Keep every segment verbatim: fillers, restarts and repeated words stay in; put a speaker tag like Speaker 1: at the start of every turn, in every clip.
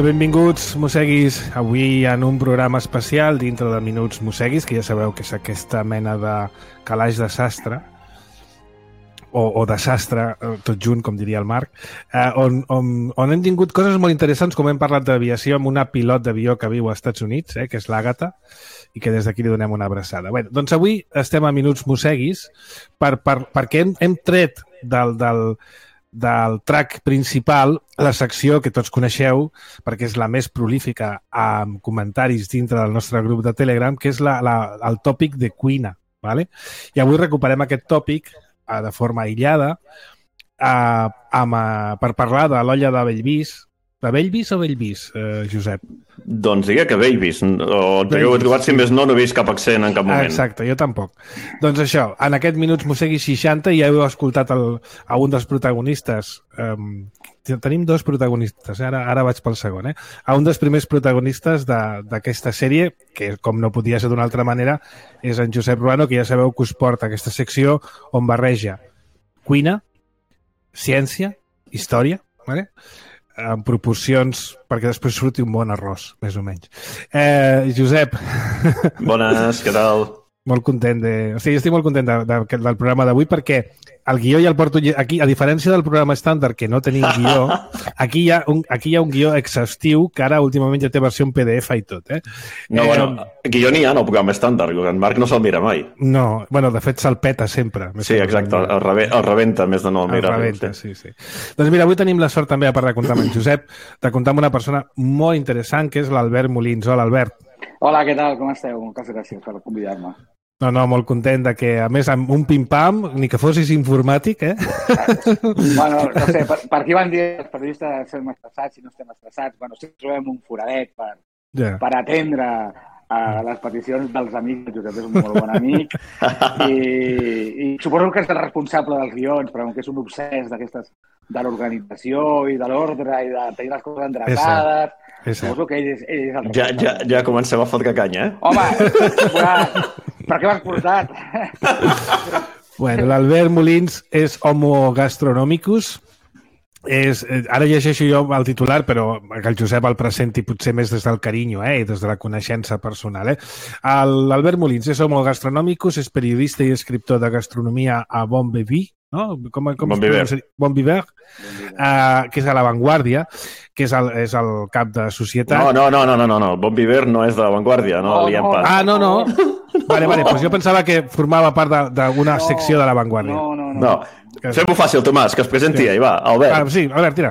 Speaker 1: tal? Benvinguts, Mosseguis, avui en un programa especial dintre de Minuts Mosseguis, que ja sabeu que és aquesta mena de calaix de sastre, o, o de sastre, tot junt, com diria el Marc, eh, on, on, on hem tingut coses molt interessants, com hem parlat d'aviació, amb una pilot d'avió que viu als Estats Units, eh, que és l'Àgata, i que des d'aquí li donem una abraçada. Bé, doncs avui estem a Minuts Mosseguis per, per, perquè hem, hem tret del... del del track principal, la secció que tots coneixeu, perquè és la més prolífica amb comentaris dintre del nostre grup de Telegram, que és la, la, el tòpic de cuina. ¿Vale? I avui recuperem aquest tòpic eh, de forma aïllada eh, amb, eh, per parlar de l'olla de Bellvís. De Bellvís o Bellvís, eh, Josep?
Speaker 2: Doncs diria que Bellvís. O que ho he trobat, si més no, no he vist cap accent en cap moment.
Speaker 1: Exacte, jo tampoc. Doncs això, en aquest Minuts Mosseguis seixanta ja heu escoltat el, a un dels protagonistes. Um, tenim dos protagonistes, ara, ara vaig pel segon. Eh? A un dels primers protagonistes d'aquesta sèrie, que com no podia ser d'una altra manera, és en Josep Ruano, que ja sabeu que us porta aquesta secció on barreja cuina, ciència, història, ¿vale? En proporcions, perquè després surti un bon arròs, més o menys. Eh, Josep.
Speaker 2: Bones, què tal?
Speaker 1: Molt content de... O sigui, estic molt content de, de, del programa d'avui perquè el guió ja el porto aquí, a diferència del programa estàndard, que no tenim guió, aquí hi ha un, aquí hi ha un guió exhaustiu que ara últimament ja té versió en P D F i tot, eh?
Speaker 2: No,
Speaker 1: eh,
Speaker 2: bueno, guió n'hi ha en el programa estàndard, en Marc no se'l mira mai.
Speaker 1: No, bueno, de fet se'l peta sempre.
Speaker 2: Sí, exacte, el, rebe, el rebenta més de no el mirar.
Speaker 1: El rebenta, sí, sí. Doncs mira, avui tenim la sort també, a part de comptar amb en Josep, de comptar amb una persona molt interessant, que és l'Albert Molins. Hola, Albert.
Speaker 3: Hola, què tal? Com esteu? Moltes gràcies per convidar-me.
Speaker 1: No, no, molt content de que, a més, amb un pim-pam, ni que fossis informàtic, eh?
Speaker 3: Bueno, no sé, per, per aquí van dir els periodistes estem estressats i no estem estressats. Bueno, si trobem un foradet per, yeah. per atendre a les peticions dels amics, el Josep és un molt bon amic, i, i suposo que és el responsable dels guions, però que és un obsès d'aquestes de l'organització i de l'ordre i de tenir les coses endreçades. Suposo que ell és, ell és el
Speaker 2: ja, ja, ja comencem a fotre canya, eh?
Speaker 3: Home, ja, per què m'has portat?
Speaker 1: Bueno, l'Albert Molins és Homo Gastronomicus. És, ara llegeixo jo el titular, però que el Josep el presenti potser més des del carinyo, eh, i des de la coneixença personal. Eh? L'Albert Molins és Homo Gastronomicus, és periodista i escriptor de gastronomia a Bon Viver, no? Com, com
Speaker 2: Bon Viver.
Speaker 1: Bon Viver, uh, que és a La Vanguardia, que és el, és el cap de societat.
Speaker 2: No, no, no, no, no, no. Bon Viver no és de La Vanguardia, no,
Speaker 3: no, no.
Speaker 1: Ah, no, no. Vale, vale, doncs jo pensava que formava part d'una no, secció de La Vanguardia.
Speaker 3: No, no, no.
Speaker 2: no. Fem-ho fàcil, Tomàs, que es presenti, sí. Ahí va, Albert.
Speaker 1: Ah, sí, Albert, tira.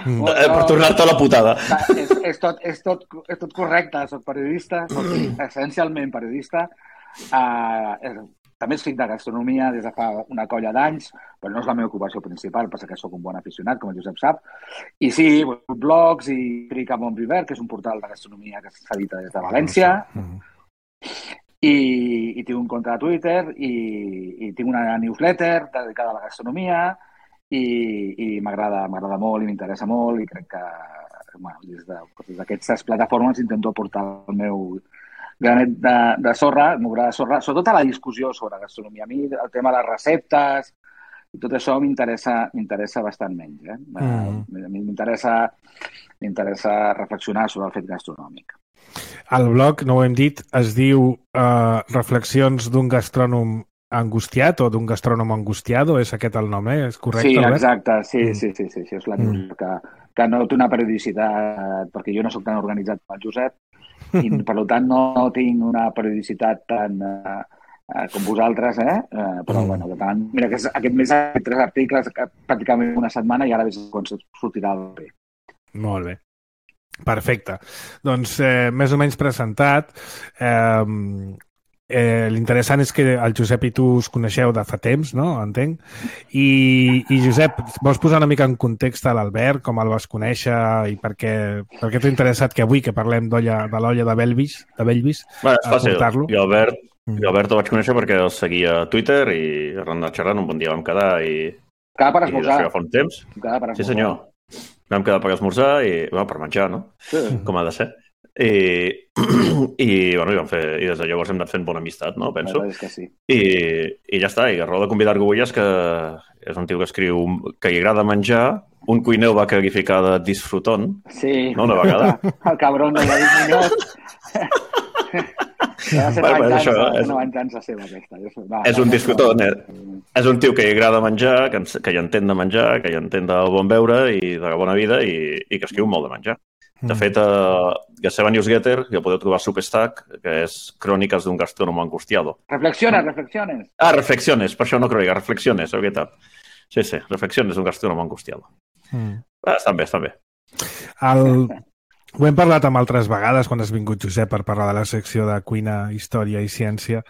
Speaker 2: mm. no, per tornar-te a la putada.
Speaker 3: És, és, tot, és, tot, és tot correcte, soc periodista, soc essencialment periodista. Uh, és, també escric de gastronomia des de fa una colla d'anys, però no és la meva ocupació principal, passa que sóc un bon aficionat, com el Josep sap. I sí, blogs i escric a Bon Viver, que és un portal de gastronomia que s'edita des de València. Mm. I, i tinc un compte de Twitter i, i tinc una newsletter dedicada a la gastronomia i, i m'agrada m'agrada molt i m'interessa molt i crec que bueno, des d'aquestes de, plataformes intento aportar el meu granet de, de sorra, el meu gra de sorra, sobretot a la discussió sobre gastronomia. A mi el tema de les receptes i tot això m'interessa m'interessa bastant menys. Eh? Mm. A mi m'interessa m'interessa reflexionar sobre el fet gastronòmic.
Speaker 1: El blog, no ho hem dit, es diu uh, Reflexions d'un gastrònom angustiat o d'un gastrònom angustiado, és aquest el nom, eh? És correcte?
Speaker 3: Sí, exacte, sí, mm. sí, sí, sí, sí, és la mm. que, que no té una periodicitat, perquè jo no soc tan organitzat com el Josep i per tant no, no tinc una periodicitat tan uh, uh, com vosaltres, eh? Uh, però mm. bueno, tant, mira, que aquest mes ha fet tres articles pràcticament una setmana i ara veig quan sortirà el bé.
Speaker 1: Molt bé. Perfecte. Doncs eh, més o menys presentat. Eh, eh, L'interessant és que el Josep i tu us coneixeu de fa temps, no? Entenc. I, i Josep, vols posar una mica en context a l'Albert, com el vas conèixer i per què, per què t'ha interessat que avui que parlem de l'olla de Bellvís, de Bellvís,
Speaker 2: bueno, és fàcil. Jo Albert, mm. jo Albert el vaig conèixer perquè el seguia a Twitter i arran de xerrant un bon dia vam quedar i...
Speaker 3: Quedar per esmorzar.
Speaker 2: I fa un temps.
Speaker 3: Quedar per esmorzar.
Speaker 2: Sí, senyor. Vam quedar per esmorzar i, bueno, per menjar, no?
Speaker 3: Sí.
Speaker 2: Com ha de ser. I, i, bueno, i, vam fer, i des de llavors hem anat fent bona amistat, no? Penso.
Speaker 3: És que sí.
Speaker 2: I, i ja està, i a raó de convidar Arguelles, que és un tio que escriu que li agrada menjar, un cuiner va qualificar de disfrutón,
Speaker 3: sí.
Speaker 2: no, una vegada.
Speaker 3: El cabron de David Muñoz. Va ser
Speaker 2: Bueno,
Speaker 3: una
Speaker 2: això,
Speaker 3: venjança,
Speaker 2: és-
Speaker 3: una venjança seva, aquesta. Va,
Speaker 2: És un disfrutón, eh? És un tio que li agrada menjar, que, ens- que hi entén de menjar, que hi entén del bon beure i de la bona vida i, i que escriu molt de menjar. De
Speaker 1: Mm.
Speaker 2: fet, a la seva newsletter, que podeu trobar a Substack, que és Cròniques d'un gastrónomo angustiado.
Speaker 3: Reflexiones, reflexiones.
Speaker 2: Ah, reflexiones, per això no crec, reflexiones, és veritat. Sí, sí, reflexiones d'un gastrónomo angustiado.
Speaker 1: Mm.
Speaker 2: Ah, estan bé, estan bé.
Speaker 1: El... Ho hem parlat amb altres vegades quan has vingut, Josep, per parlar de la secció de cuina, història i ciència,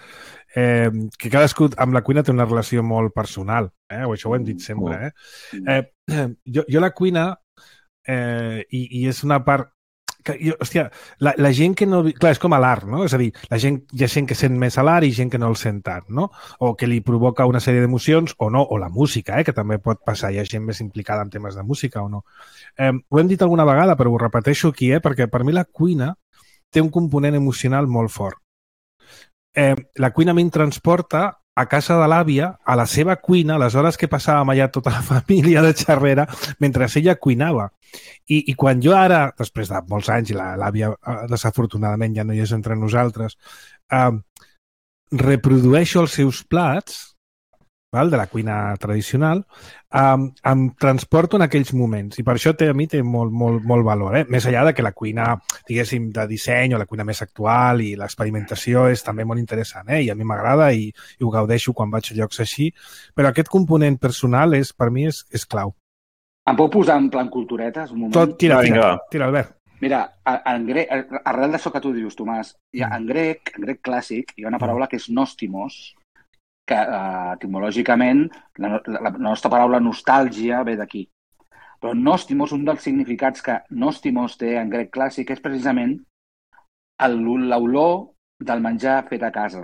Speaker 1: eh, que cadascú amb la cuina té una relació molt personal, eh? O això ho hem dit sempre. Eh? Eh, jo, jo la cuina, eh, i, i és una part... Que, jo, hòstia, la, la gent que no... Clar, és com a l'art, no? És a dir, la gent, hi ha gent que sent més a l'art i gent que no el sent tant, no? O que li provoca una sèrie d'emocions o no, o la música, eh? Que també pot passar, hi ha gent més implicada en temes de música o no. Eh, ho hem dit alguna vegada, però ho repeteixo aquí, eh? Perquè per mi la cuina té un component emocional molt fort. Eh, la cuina a mi em transporta a casa de l'àvia, a la seva cuina, a les hores que passàvem allà tota la família de xerrera, mentre ella cuinava. I, i quan jo ara, després de molts anys, i l'àvia desafortunadament ja no hi és entre nosaltres, eh, reprodueixo els seus plats, val, de la cuina tradicional, um, em transporto en aquells moments. I per això té, a mi té molt, molt, molt valor. Eh? Més enllà de que la cuina, diguéssim, de disseny o la cuina més actual i l'experimentació és també molt interessant. Eh? I a mi m'agrada i, i ho gaudeixo quan vaig a llocs així. Però aquest component personal és, per mi és, és clau.
Speaker 3: Em puc posar en plan culturetes un moment?
Speaker 1: Tot, tira,
Speaker 2: Vinga,
Speaker 1: tira,
Speaker 2: va.
Speaker 1: tira, Albert.
Speaker 3: Mira, en grec, arrel d'això que tu dius, Tomàs, hi ha, en grec, en grec clàssic, hi ha una paraula que és nostimos, que uh, etimològicament la, la, la nostra paraula nostàlgia ve d'aquí. Però nostimos, un dels significats que nostimos té en grec clàssic és precisament el- l'olor del menjar fet a casa.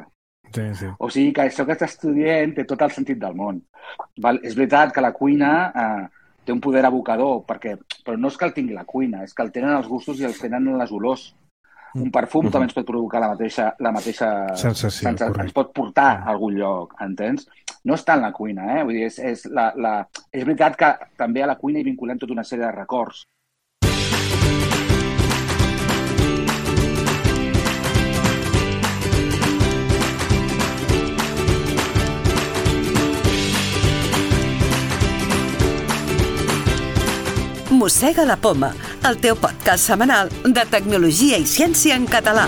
Speaker 1: Sí, sí.
Speaker 3: O sigui que això que estàs estudiant té tot el sentit del món. Val? És veritat que la cuina eh, té un poder evocador, perquè, però no és que el tingui la cuina, és que el tenen els gustos i els tenen les olors. Un perfum també ens pot provocar la mateixa, la mateixa
Speaker 1: Sensació,
Speaker 3: sensa,
Speaker 1: correcte.
Speaker 3: ens pot portar a algun lloc, entens? No està en la cuina, eh? Vull dir, és, és, la, la... és veritat que també a la cuina hi vinculem tota una sèrie de records.
Speaker 4: Mossega la Poma, el teu podcast setmanal de tecnologia i ciència en català.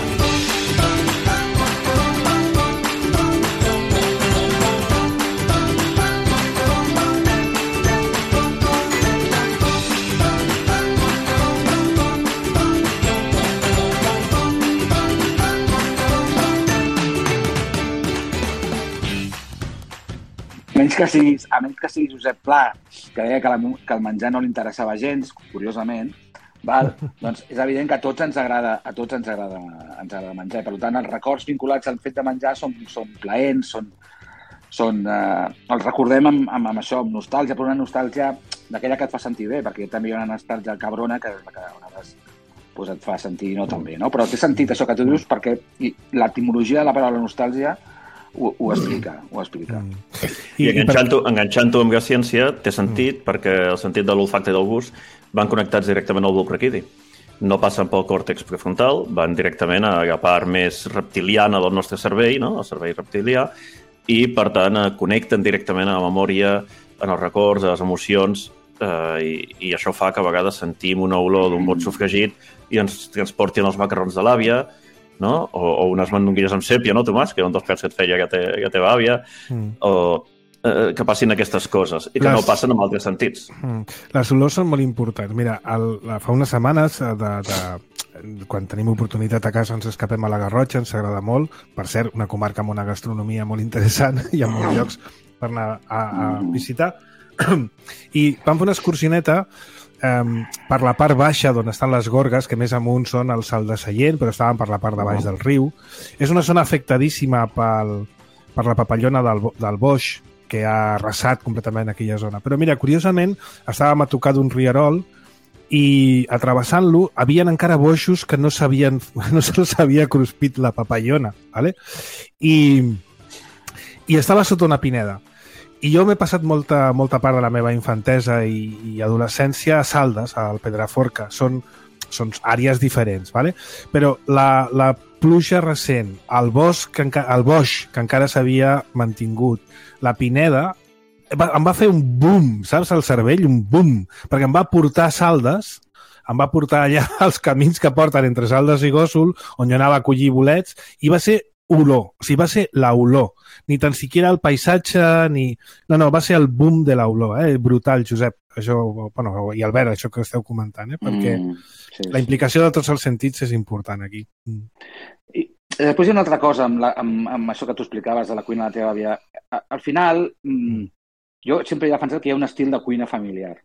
Speaker 3: A menys que siguis, a menys que siguis Josep Pla, que deia que, la, que el menjar no li interessava gens, curiosament, val? Doncs és evident que a tots ens agrada, a tots ens agrada, ens agrada menjar. Per tant, els records vinculats al fet de menjar són, són plaents, són, són, eh, els recordem amb, amb, amb això, amb nostàlgia, però una nostàlgia d'aquella que et fa sentir bé, perquè també hi ha una nostàlgia cabrona que, que a vegades pues, et fa sentir no tan bé, no? Però té sentit això que tu dius perquè i l'etimologia de la paraula nostàlgia ho, ho explica, ho explica.
Speaker 1: Mm.
Speaker 2: I, I enganxant-ho enganxant amb la ciència té sentit, mm. perquè el sentit de l'olfacte i del gust van connectats directament al bulb raquidi. No passen pel còrtex prefrontal, van directament a la part més reptiliana del nostre cervell, no? El cervell reptilià, i, per tant, connecten directament a la memòria, en els records, a les emocions, eh, i, i això fa que a vegades sentim una olor d'un bot sofregit i ens transportin els macarrons de l'àvia, no? O, o unes mandonguilles amb sèpia, no, Tomàs? Que era un dels plats que et feia que te, que teva àvia. Mm. O eh, que passin aquestes coses i que Les... no passen amb altres sentits.
Speaker 1: Mm. Les olors són molt importants. Mira, el, fa unes setmanes, de, de, quan tenim oportunitat a casa, ens escapem a la Garrotxa, ens agrada molt. Per cert, una comarca amb una gastronomia molt interessant i ha molts llocs per anar a, a visitar. I vam fer una excursioneta Um, per la part baixa d'on estan les gorgues, que més amunt són el Salt de Sallent, però estaven per la part de baix del riu. És una zona afectadíssima pel, per la papallona del, del boix, que ha arrasat completament aquella zona. Però mira, curiosament, estàvem a tocar d'un rierol i atrevessant-lo havien encara boixos que no s'havien no se'ls havia cruspit la papallona, ¿vale? I, i estava sota una pineda. I jo m'he passat molta, molta part de la meva infantesa i, i adolescència a Saldes, al Pedraforca. Són, són àrees diferents, ¿vale? Però la, la pluja recent, el bosc, que enca, el boix que encara s'havia mantingut, la pineda, em va fer un boom, saps, al cervell, un boom, perquè em va portar a Saldes, em va portar allà als camins que porten entre Saldes i Gósol, on jo anava a collir bolets, i va ser olor, o sigui, va ser l'olor, ni tan siquiera el paisatge, ni... No, no, va ser el boom de l'olor, eh? Brutal, Josep, això, bueno, i Albert, això que esteu comentant, eh? Perquè mm, sí, sí. La implicació de tots els sentits és important aquí. Mm.
Speaker 3: I després hi ha una altra cosa amb, la, amb, amb això que tu explicaves de la cuina de la teva àvia. Al final, mm. jo sempre he defensat que hi ha un estil de cuina familiar.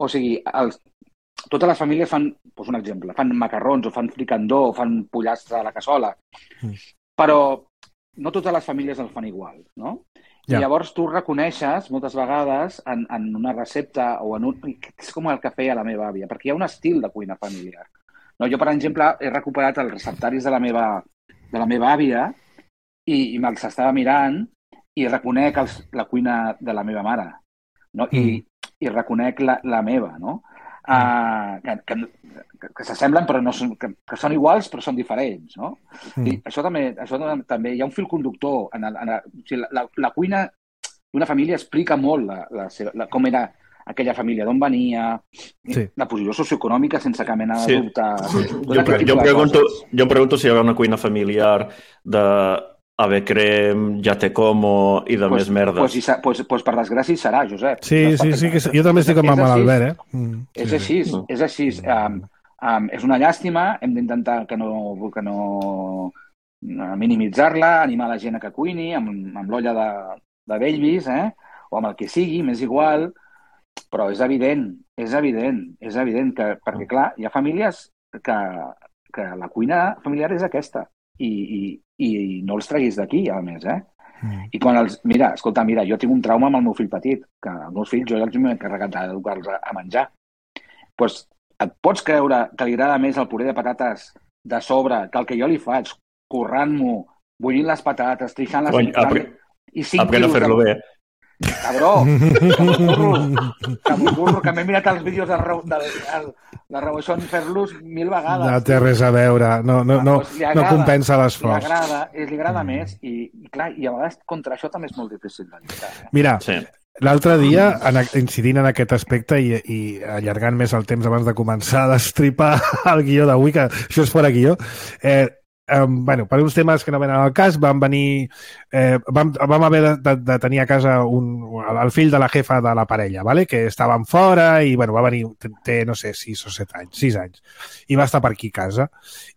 Speaker 3: O sigui, els, totes les famílies fan, doncs un exemple, fan macarrons o fan fricandó o fan pollastre a la cassola. Mm. Però no totes les famílies el fan igual, no? Ja. I llavors tu reconeixes moltes vegades en, en una recepta o en un... És com el que feia la meva àvia, perquè hi ha un estil de cuina familiar. No, jo, per exemple, he recuperat els receptaris de la meva, de la meva àvia i, i me'ls estava mirant i reconec els, la cuina de la meva mare, no? I, mm. i reconec la, la meva, no? Uh, que, que, que s'assemblen però no són, que, que són iguals però són diferents, no? Mm. I això també, això també hi ha un fil conductor en el, en el, o sigui, la, la cuina d'una família explica molt la, la seva, la, com era aquella família, d'on venia, sí. La posició socioeconòmica sense cap mena de dubte.
Speaker 2: Sí. Jo, jo, jo, pregunto, jo em pregunto si hi haurà una cuina familiar de ave crem, ja te como i de pues, més merdes.
Speaker 3: Pues, pues, pues per desgràcia serà, Josep.
Speaker 1: Sí, sí, sí, que jo també estic amb el Albert, eh? Mm,
Speaker 3: és sí, així, sí. és així. Um, um, és una llàstima, hem d'intentar que no, que no minimitzar-la, animar la gent a que cuini, amb, amb l'olla de, de Bellvis, eh? O amb el que sigui, m'és igual, però és evident, és evident, és evident que, perquè clar, hi ha famílies que, que la cuina familiar és aquesta. I, i, i no els treguis d'aquí, a més, eh? Mm. I quan els... Mira, escolta, mira, jo tinc un trauma amb el meu fill petit, que els meus fills jo els m'he encarregat d'educar-los a, a menjar. Doncs pues, et pots creure que li agrada més el puré de patates de sobre que el que jo li faig, currant-m'ho, bullint les patates, trijant les...
Speaker 2: Cony, apre... i cinc aprèn a fer-lo bé.
Speaker 3: Cabró, que m'ho burro, que m'ho burro, que m'he mirat els vídeos de, de, de, de Reboixón fer-los mil vegades.
Speaker 1: No té res a veure, no, no, no, agrada, no compensa l'esforç.
Speaker 3: Li agrada, li agrada mm. més i, i, clar, i a vegades contra això també és molt difícil de lluitar. Eh?
Speaker 1: Mira, sí. L'altre dia, en, incidint en aquest aspecte i, i allargant més el temps abans de començar a destripar el guió d'avui, que això és fora guió, eh, Um, bueno, per uns temes que no venen al cas vam venir eh, vam, vam haver de, de, de tenir a casa un, el fill de la jefa de la parella, ¿vale? Que estàvem fora i bueno, va venir, té no sé, sis o set anys, sis anys i va estar per aquí a casa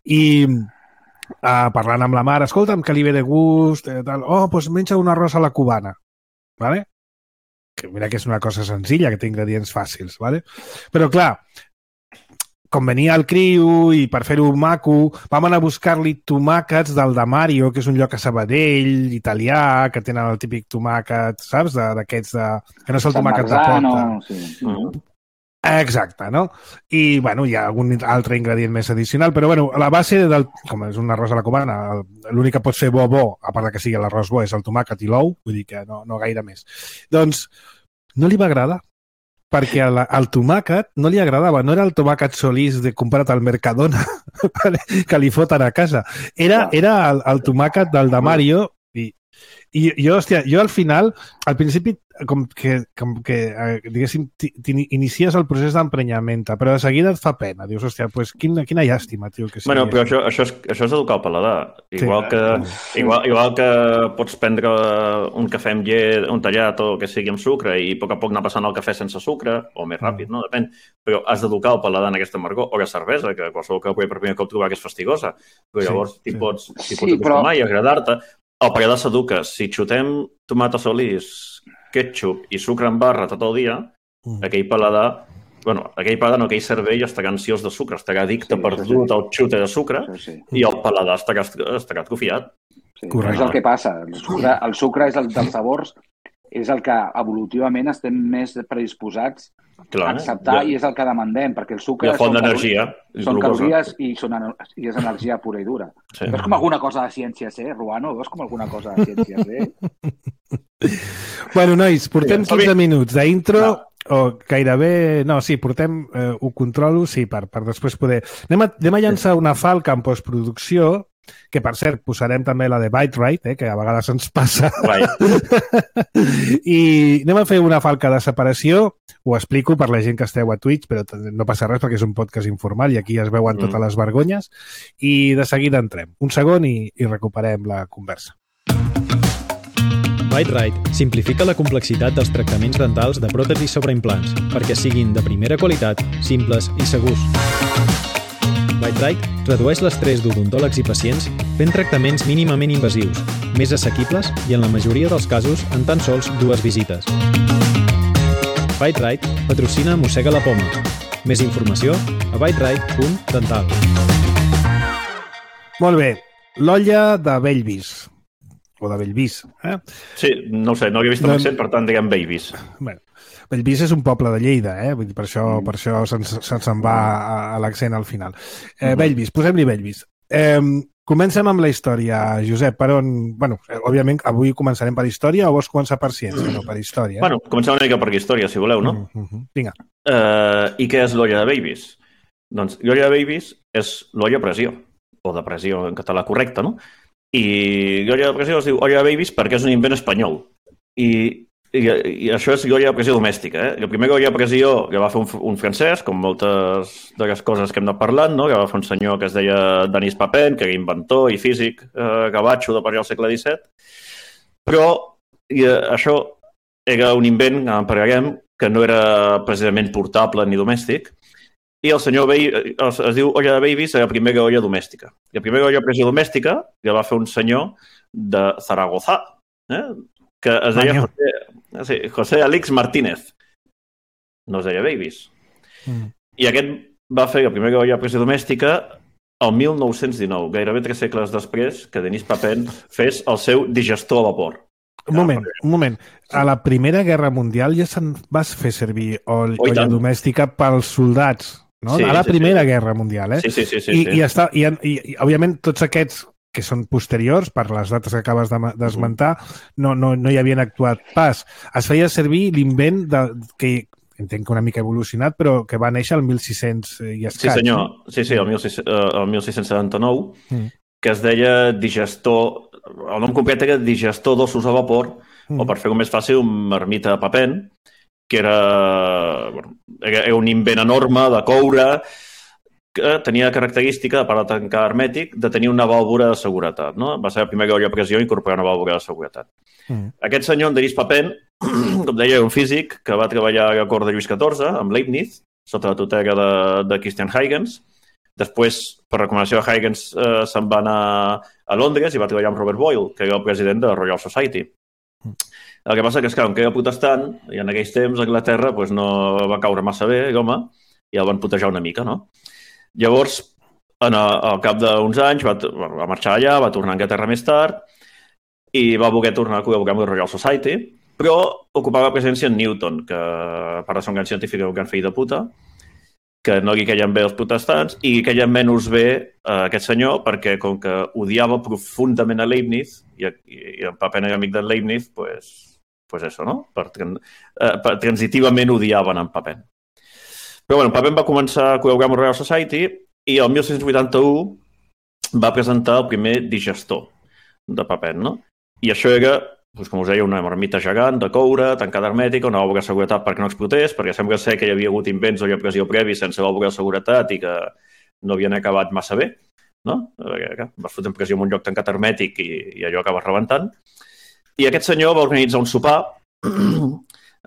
Speaker 1: i uh, parlant amb la mare, escolta'm, que li ve de gust, eh, tal. Oh, doncs menja un arròs a la cubana, ¿vale? Que mira que és una cosa senzilla, que té ingredients fàcils, ¿vale? Però clar, com venia el criu i per fer-ho maco, vam anar a buscar-li tomàquets del de Mario, que és un lloc a Sabadell, italià, que tenen el típic tomàquet, saps? D'aquests de... que no és el
Speaker 3: Sant
Speaker 1: tomàquet
Speaker 3: Marzano,
Speaker 1: de porta.
Speaker 3: Sí. Mm.
Speaker 1: Exacte, no? I, bueno, hi ha algun altre ingredient més addicional, però, bueno, la base del... com és un arròs a la cubana, l'únic que pot fer bo, bo, a part que sigui l'arròs bo, és el tomàquet i l'ou, vull dir que no, no gaire més. Doncs no li va agradar, perquè al, al tomàquet no li agradava, no era el tomàquet solís de comprat al Mercadona que li foten a casa, era, era el, el tomàquet del de Mario i, i jo, hòstia, jo al final, al principi com que, com que diguéssim, inicies el procés d'emprenyamenta, però de seguida et fa pena, dius, hòstia, pues, quina, quina llàstima, tio, que sigui.
Speaker 2: Bueno, però això, això, és, això és educar el paladar. Igual, sí. que, igual, igual que pots prendre un cafè amb llet, un tallat o que sigui amb sucre i a poc a poc anar passant el cafè sense sucre, o més ràpid, no? Depèn. Però has d'educar el paladar en aquesta amargor, o la cervesa, que qualsevol que pugui per primer cop trobar que és fastigosa, però llavors sí, sí. pots, sí, pots acostumar però... i agradar-te. El paladar s'educa. Si xutem tomata solís, ketchup i sucre en barra tot el dia, mm. aquell paladar, bueno, aquell paladar no, aquell cervell estarà ansiós de sucre, estarà addicte sí, perdut sí. al xute de sucre sí, sí. i el paladar estarà, estarà atrofiat.
Speaker 3: Sí, és el que passa. El sucre, el sucre és el dels sabors, és el que evolutivament estem més predisposats
Speaker 2: Clar,
Speaker 3: acceptar,
Speaker 2: eh?
Speaker 3: i és el que demandem, perquè el sucre...
Speaker 2: La font d'energia.
Speaker 3: Són calories i, són, i és energia pura i dura.
Speaker 2: Sí.
Speaker 3: Veus com alguna cosa de ciència sé, Ruano? Veus com alguna cosa de ciència sé?
Speaker 1: Bueno, nois, portem quinze minuts d'intro,
Speaker 3: No.
Speaker 1: o gairebé... No, sí, portem... Eh, ho controlo, sí, per, per després poder... Anem a, anem a llançar una falca en postproducció, que per cert posarem també la de Byte Right, eh, que a vegades ens passa. I anem a fer una falca de separació, ho explico per la gent que esteu a Twitch, però no passa res perquè és un podcast informal i aquí es veuen totes les vergonyes, i de seguida entrem. Un segon i, i recuperem la conversa.
Speaker 5: Byte Right simplifica la complexitat dels tractaments dentals de pròtesis sobre implants perquè siguin de primera qualitat, simples i segurs. Byte Right redueix l'estrès d'odontòlegs i pacients fent tractaments mínimament invasius, més assequibles i en la majoria dels casos en tan sols dues visites. Byte Right patrocina Mossega la Poma. Més informació a byte right punt dental.
Speaker 1: Molt bé, l'olla de Bellvis. O de Bellvis. Eh?
Speaker 2: Sí, no ho sé, no havia vist l'accent, per tant, diguem Babies.
Speaker 1: Bueno, Bellvis és un poble de Lleida, eh? Vull dir, per això, mm. per això se'ns se se'n va a, a l'accent al final. Eh, mm. Bellvis, posem-li Bellvis. Eh, comencem amb la història, Josep, per on... Bueno, òbviament, avui començarem per història o vols començar per ciència, no per història? Eh?
Speaker 2: Bueno, comencem una mica per història, si voleu, no?
Speaker 1: Mm -hmm. Vinga.
Speaker 2: Eh, I què és l'olla de Babies? Doncs l'olla de Babies és l'olla a pressió, o de pressió en català correcte, no? I l'olla de pressió es diu olla de Babies perquè és un invent espanyol. I, i, i això és l'olla de pressió domèstica. Eh? La primera olla de pressió que va fer un, un francès, com moltes de les coses que hem anat parlant, no? Que va fer un senyor que es deia Denis Papin, que era inventor i físic eh, gavatxo de per al segle disset. Però i, eh, això era un invent, en parlarem, que no era precisament portable ni domèstic. I el senyor Baby, es, es diu olla de Babies, la primera olla domèstica. La primera olla de pressió domèstica que va fer un senyor de Zaragoza, eh? Que es deia José, sí, José Alix Martínez. No es deia Babies. Mm. I aquest va fer la primera olla de pressió domèstica el mil nou-cents dinou, gairebé tres segles després que Denis Papin fes el seu digestor a vapor.
Speaker 1: Un moment, un moment. A la Primera Guerra Mundial ja se'n vas fer servir olla oh, domèstica pels soldats, no? Sí, a la sí, Primera sí. Guerra Mundial, eh?
Speaker 2: Sí, sí, sí. sí,
Speaker 1: I,
Speaker 2: sí.
Speaker 1: I, està, i, i, i, òbviament, tots aquests que són posteriors, per les dates que acabes d'esmentar, no, no, no hi havien actuat pas. Es feia servir l'invent de, que entenc que una mica evolucionat, però que va néixer el mil sis-cents i escaig.
Speaker 2: Sí, senyor. Sí, sí, el mil sis-cents setanta-nou, mm. que es deia digestor... El nom complet era digestor d'ossos a vapor, mm. o per fer-ho més fàcil, un marmita de Papin, que era, bueno, era un invent enorme de coure, que tenia característica, a part de tancar hermètic, de tenir una vàlvula de seguretat. No? Va ser la primera olla a pressió incorporar una vàlvula de seguretat. Mm. Aquest senyor, Denis Papin, com deia, era un físic que va treballar a la cort de Lluís catorze, amb Leibniz, sota la tutela de, de Christian Huygens. Després, per recomanació de Huygens, eh, se'n va anar a Londres i va treballar amb Robert Boyle, que era el president de la Royal Society. Mm. El que passa que, esclar, que era protestant, i en aquells temps a Anglaterra pues, no va caure massa bé, l'home, i el van putejar una mica, no? Llavors, en el, al cap d'uns anys, va, va marxar allà, va tornar a Anglaterra més tard i va voler tornar a col·laborar amb la Royal Society, però ocupava la presència en Newton, que a part de ser un gran científic era un gran fill de puta, que no li queien bé els protestants i li queien menys bé a aquest senyor perquè, com que odiava profundament a Leibniz i, i, i en Papin era amic de Leibniz, pues, pues eso, no? Per, eh, per, transitivament odiaven en Papin. Però bueno, Papin va començar a col·laborar amb la Royal Society i el mil sis-cents vuitanta-u va presentar el primer digestor de Papin, no? I això era, doncs, com us deia, una marmita gegant de coure, tancada hermètica, una vàlvula de seguretat perquè no explotés, perquè sembla ser que hi havia hagut invents d'olla a pressió previ sense vàlvula de seguretat i que no havien acabat massa bé, no? Vas fotre en pressió en un lloc tancat hermètic i, i allò acaba rebentant. I aquest senyor va organitzar un sopar,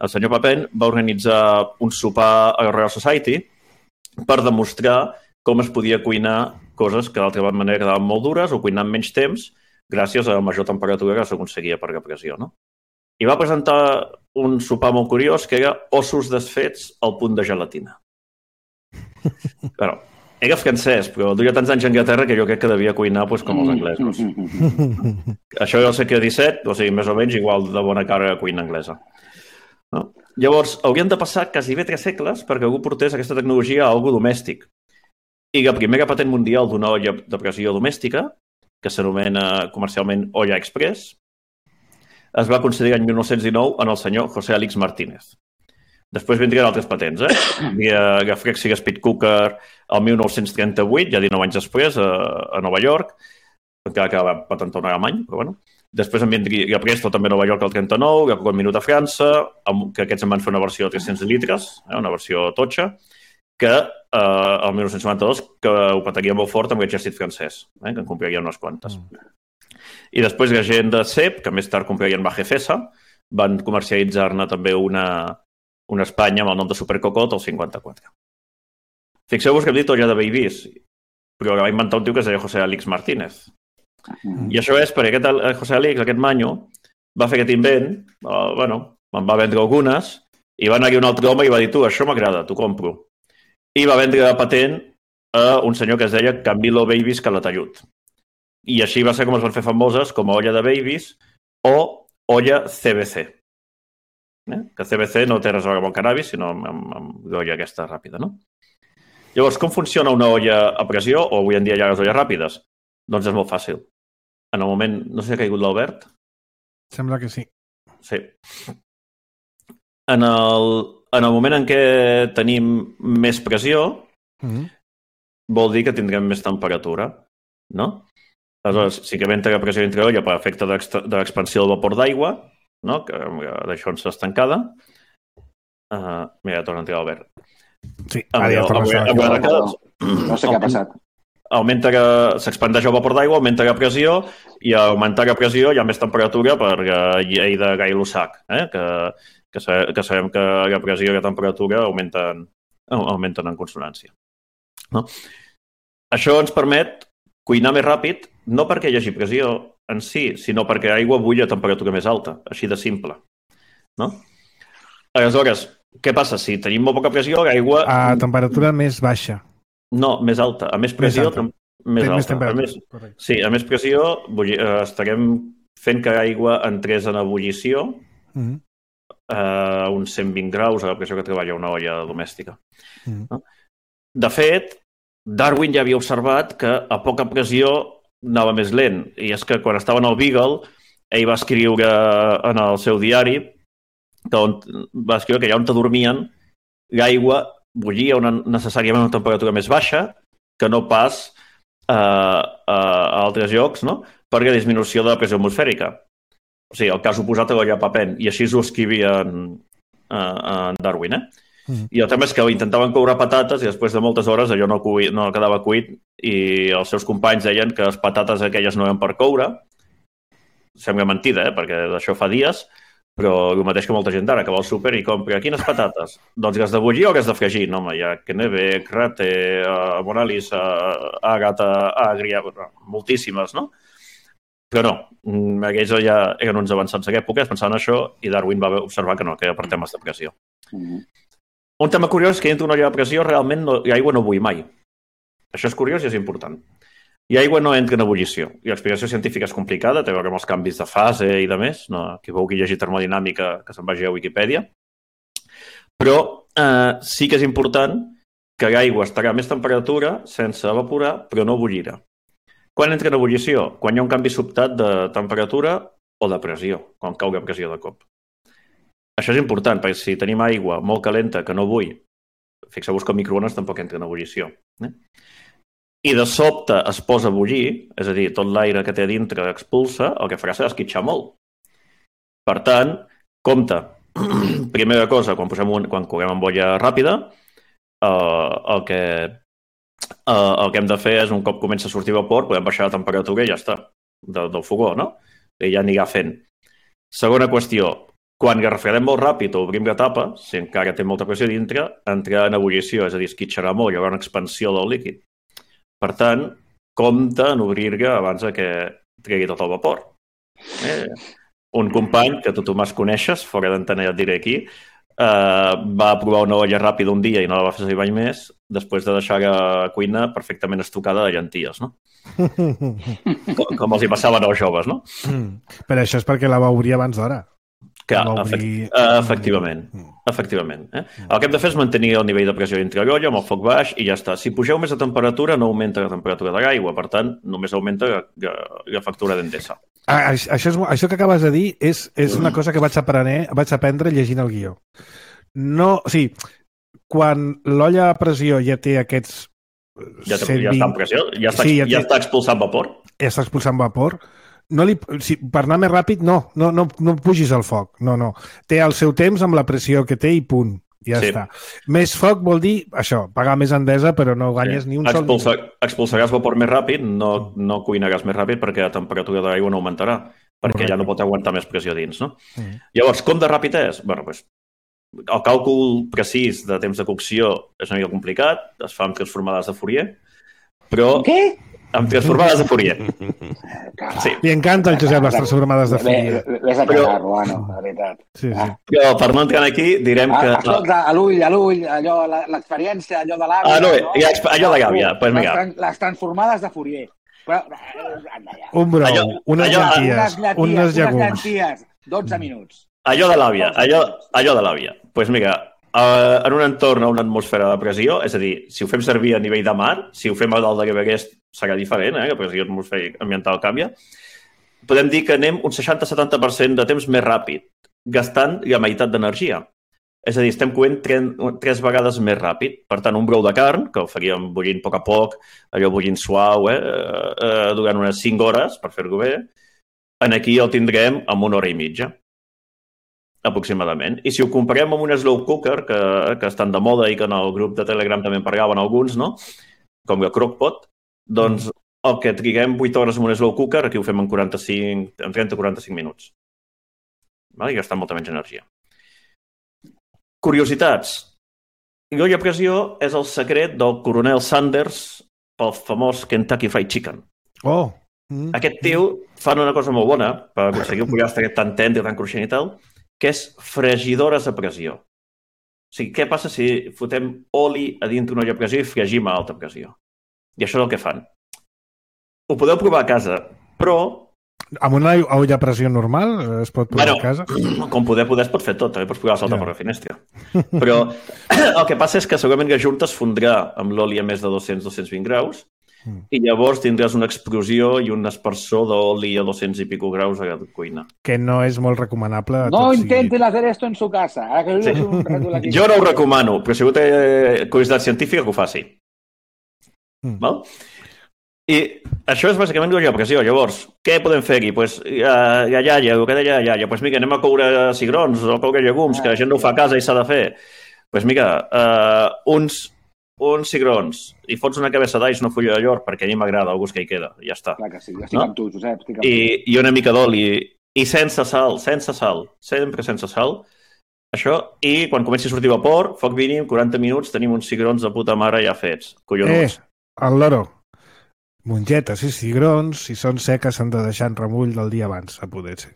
Speaker 2: el senyor Papin va organitzar un sopar a la Royal Society per demostrar com es podia cuinar coses que d'altra manera quedaven molt dures o cuinar en menys temps gràcies a la major temperatura que s'aconseguia per la pressió, no? I va presentar un sopar molt curiós que era ossos desfets al punt de gelatina. Però era francès, però duia tants anys a Anglaterra que jo crec que devia cuinar pues, com els anglesos. Això era el segle disset, o sigui, més o menys igual de bona cara a cuina anglesa. No? Llavors, haurien de passar quasi bé tres segles perquè algú portés aquesta tecnologia a algú domèstic. I la primera patent mundial d'una olla de pressió domèstica, que s'anomena comercialment olla express, es va concedir l'any mil nou-cents dinou en el senyor José Alix Martínez. Després vindrien altres patents, eh? Hi havia la Frexi Speed Cooker el mil nou-cents trenta-vuit, ja dinou anys després, a, a Nova York, encara que va patentar un alemany, però bueno. Després en vindria Presto també a Nova York el trenta-nou, la Coca Minut a França, que aquests en van fer una versió de tres-cents litres, eh? Una versió totxa, que eh, el mil nou-cents noranta-dos que ho pataria molt fort amb l'exèrcit francès, eh? Que en compraria unes quantes. Mm. I després la gent de C E P, que més tard comprarien Bajefesa, van comercialitzar-ne també una, una Espanya amb el nom de Supercocot el cinquanta-quatre. Fixeu-vos que hem dit olla de babies, però va inventar un tio que es deia José Alix Martínez. Mm. I això és perquè aquest José Alix, aquest manyo, va fer aquest invent, eh, bueno, me'n va vendre algunes, i va anar-hi un altre home i va dir, tu, això m'agrada, t'ho compro. I va vendre la patent a un senyor que es deia Camilo Babies Calatayud. I així va ser com es van fer famoses com a olla de babies o olla C B C. Eh? Que C B C no té res a veure amb el cannabis, sinó amb, amb, amb l'olla aquesta ràpida, no? Llavors, com funciona una olla a pressió, o avui en dia hi ha les olles ràpides? Doncs és molt fàcil. En el moment... No sé si ha caigut l'Albert?
Speaker 1: Sembla que sí.
Speaker 2: Sí. En el, en el moment en què tenim més pressió, mm-hmm. vol dir que tindrem més temperatura, no? Aleshores, sí que entra la pressió dintre l'olla per efecte de l'expansió del vapor d'aigua, no? Que d'això ens està estancada. Uh, mira, ja torna a entrar l'Albert.
Speaker 1: Sí, ara ja torna a entrar.
Speaker 3: No sé què ha passat.
Speaker 2: Augmenta que s'expandeix el vapor d'aigua, augmenta la pressió, i a augmentar la pressió hi ha més temperatura per la llei de Gay-Lussac, eh? que, que, que sabem que la pressió i la temperatura augmenten, augmenten en consonància. No? Això ens permet cuinar més ràpid, no perquè hi hagi pressió en si, sinó perquè l'aigua bull a temperatura més alta, així de simple. No? Aleshores, què passa? Si tenim molt poca pressió, l'aigua...
Speaker 1: A temperatura més baixa.
Speaker 2: No, més alta. A més pressió... Més, més alta. Més
Speaker 1: temperatura.
Speaker 2: A més, sí, a més pressió bulli, eh, estarem fent que l'aigua entrés en ebullició mm-hmm. a uns cent vint graus, a la pressió que treballa una olla domèstica. Mm-hmm. No? De fet, Darwin ja havia observat que a poca pressió anava més lent. I és que quan estava en el Beagle, ell va escriure en el seu diari que on, va escriure que allà on dormien l'aigua bullia una, necessàriament a una temperatura més baixa que no pas eh, a altres llocs, no? Per la disminució de la pressió atmosfèrica. O sigui, el cas oposat a l'olla Papen. I així ho escrivia en, en Darwin, eh? Mm. I el tema és que intentaven coure patates i després de moltes hores allò no, cuit, no quedava cuit i els seus companys deien que les patates aquelles no eren per coure. Sembla mentida, eh? Perquè d'això fa dies, però el mateix que molta gent d'ara que va al súper i compra quines patates? Doncs que has de bullir o que has de fregir? No, home, hi ha Kennebec, Rate, uh, Moralisa, Agata, Agria, moltíssimes, no? Però no, aquells ja eren uns avançats a l'època, es pensaven això i Darwin va observar que no, que era per temes de pressió. Mm-hmm. Un tema curiós és que dintre una olla de pressió realment no, l'aigua no bull mai. Això és curiós i és important. I aigua no entra en ebullició. I l'explicació científica és complicada, té a veure amb els canvis de fase i de més. No, qui vulgui llegir termodinàmica, que se'n vagi a Wikipedia. Però eh, sí que és important que l'aigua estarà a més temperatura sense evaporar, però no bullirà. Quan entra en ebullició? Quan hi ha un canvi sobtat de temperatura o de pressió, quan cau la pressió de cop. Això és important, perquè si tenim aigua molt calenta que no bull, fixeu-vos que el microones tampoc entra en ebullició. Eh? I de sobte es posa a bullir, és a dir, tot l'aire que té a dintre expulsa, el que farà serà esquitxar molt. Per tant, compte, primera cosa, quan, posem un, quan coguem amb olla ràpida, eh, el, que, eh, el que hem de fer és, un cop comença a sortir vapor, podem baixar la temperatura i ja està, de, del fogó, no? I ja anirà fent. Segona qüestió, quan la refredem molt ràpid o obrim la tapa, si encara té molta pressió dintre, entrarà en ebullició, és a dir, esquitxarà molt, hi haurà una expansió del líquid. Per tant, compte en obrir-la abans que tregui tot el vapor. Eh, un company, que tu Tomàs coneixes, fora d'antena ja et diré aquí, eh, va provar una olla ràpida un dia i no la va fer servir mai més, després de deixar la cuina perfectament estucada de llenties, no? com, com els hi passaven als joves, no?
Speaker 1: Mm. Però això és perquè la va obrir abans d'hora.
Speaker 2: Que, efect... efectivament. Efectivament. Eh? El que hem de fer és mantenir el nivell de pressió dintre l'olla amb el foc baix i ja està. Si pugeu més de temperatura, no augmenta la temperatura de l'aigua. Per tant, només augmenta la, la, la factura d'Endesa.
Speaker 1: Ah, això, és, això que acabes de dir és, és una cosa que vaig aprendre, vaig aprendre llegint el guió. No, o sigui, quan l'olla a pressió ja té aquests...
Speaker 2: Ja, cent vint... ja està en pressió? Ja està, sí, ja, té... ja està expulsant vapor?
Speaker 1: Ja està expulsant vapor. No li, si, per anar més ràpid, no, no, no, no pugis al foc. No, no. Té el seu temps amb la pressió que té i punt. Ja sí. Està. Més foc vol dir això, pagar més Endesa, però no guanyes sí. ni un
Speaker 2: Expulsa,
Speaker 1: sol...
Speaker 2: Expulsaràs vapor més ràpid, no, no cuinaràs més ràpid perquè la temperatura de l'aigua no augmentarà, perquè Correcte. Ja no pot aguantar més pressió dins, no? Mm. Llavors, com de ràpid és? Bueno, doncs, el càlcul precís de temps de cocció és una mica complicat, es fa amb transformades de Fourier, però...
Speaker 3: Què?
Speaker 2: Amb transformades de Fourier.
Speaker 1: Sí. Li encanta el Josep les transformades de Fourier.
Speaker 3: Ves a cagar, Ruano, la veritat.
Speaker 1: Sí, sí.
Speaker 2: Però per no entrar aquí, direm que...
Speaker 3: Ah, escolta, a l'ull, a l'ull, allò, l'experiència, allò de l'àvia...
Speaker 2: Ah, no, no? Ja, allò de l'àvia. Pues
Speaker 3: les, tran les transformades de Fourier. Però,
Speaker 1: un brou, allò, unes allò, llenties,
Speaker 3: unes,
Speaker 1: unes llegums.
Speaker 3: Unes llenties, dotze minuts.
Speaker 2: Allò de l'àvia, allò, allò de l'àvia. Doncs pues mira, uh, en un entorn a una atmosfera de pressió, és a dir, si ho fem servir a nivell de mar, si ho fem a dalt de l'Everest, serà diferent, eh? La pressió atmosfèrica ambiental canvia. Podem dir que anem un seixanta a setanta per cent de temps més ràpid, gastant la meitat d'energia. És a dir, estem coent tres vegades més ràpid. Per tant, un brou de carn, que el faríem bullint a poc a poc, allò bullint suau, eh? Eh, durant unes cinc hores, per fer-ho bé, en aquí el tindrem en una hora i mitja, aproximadament. I si ho comparem amb un slow cooker, que, que estan de moda i que en el grup de Telegram també en parlaven alguns, no? Com el crockpot, doncs el que triguem vuit hores en un slow cooker, aquí ho fem en, quaranta-cinc, en trenta a quaranta-cinc minuts. Val? I gastant molta menys energia. Curiositats. L'olla a pressió és el secret del coronel Sanders pel famós Kentucky Fried Chicken.
Speaker 1: Oh!
Speaker 2: Mm. Aquest tio fan una cosa molt bona per aconseguir un pollastre tan tendre, tan cruixent i tal, que és fregidores a pressió. O sigui, què passa si fotem oli a dintre una olla a pressió i fregim a alta pressió? I això és el que fan. Ho podeu provar a casa, però...
Speaker 1: Amb una olla a pressió normal es pot provar
Speaker 2: bueno,
Speaker 1: a casa?
Speaker 2: Com poder, poder es pot fer tot. També pots provar a saltar ja. Per la finestra. Però el que passa és que segurament la junta es fondrà amb l'oli a més de dos-cents a dos-cents vint graus mm. i llavors tindràs una explosió i un espersor d'oli a dos-cents i pico graus a la cuina.
Speaker 1: Que no és molt recomanable.
Speaker 3: No intenten hacer esto en su casa. Ara que sí. un
Speaker 2: jo no ho recomano, però si algú té curiositat científica que ho faci. Mm. Val? I això és bàsicament l'olla a pressió. Llavors, què podem fer aquí? Pues, la iaia, el que deia la iaia, pues mira, anem a coure cigrons o a coure llegums, ah, que la gent no ho fa a casa i s'ha de fer. Pues mira, uh, uns, uns cigrons i fots una cabeça d'alls, una fulla de llor, perquè a mi m'agrada el gust que hi queda. Ja està.
Speaker 3: Clar que sí, estic no? amb tu, Josep. Estic amb
Speaker 2: I, tu. I una mica d'oli. I sense sal, sense sal. Sempre sense sal. Això, i quan comenci a sortir vapor, foc mínim, quaranta minuts, tenim uns cigrons de puta mare ja fets. Collonuts.
Speaker 1: Eh, el loro. Mongetes i cigrons, si són seques, s'han de deixar en remull del dia abans, a poder ser.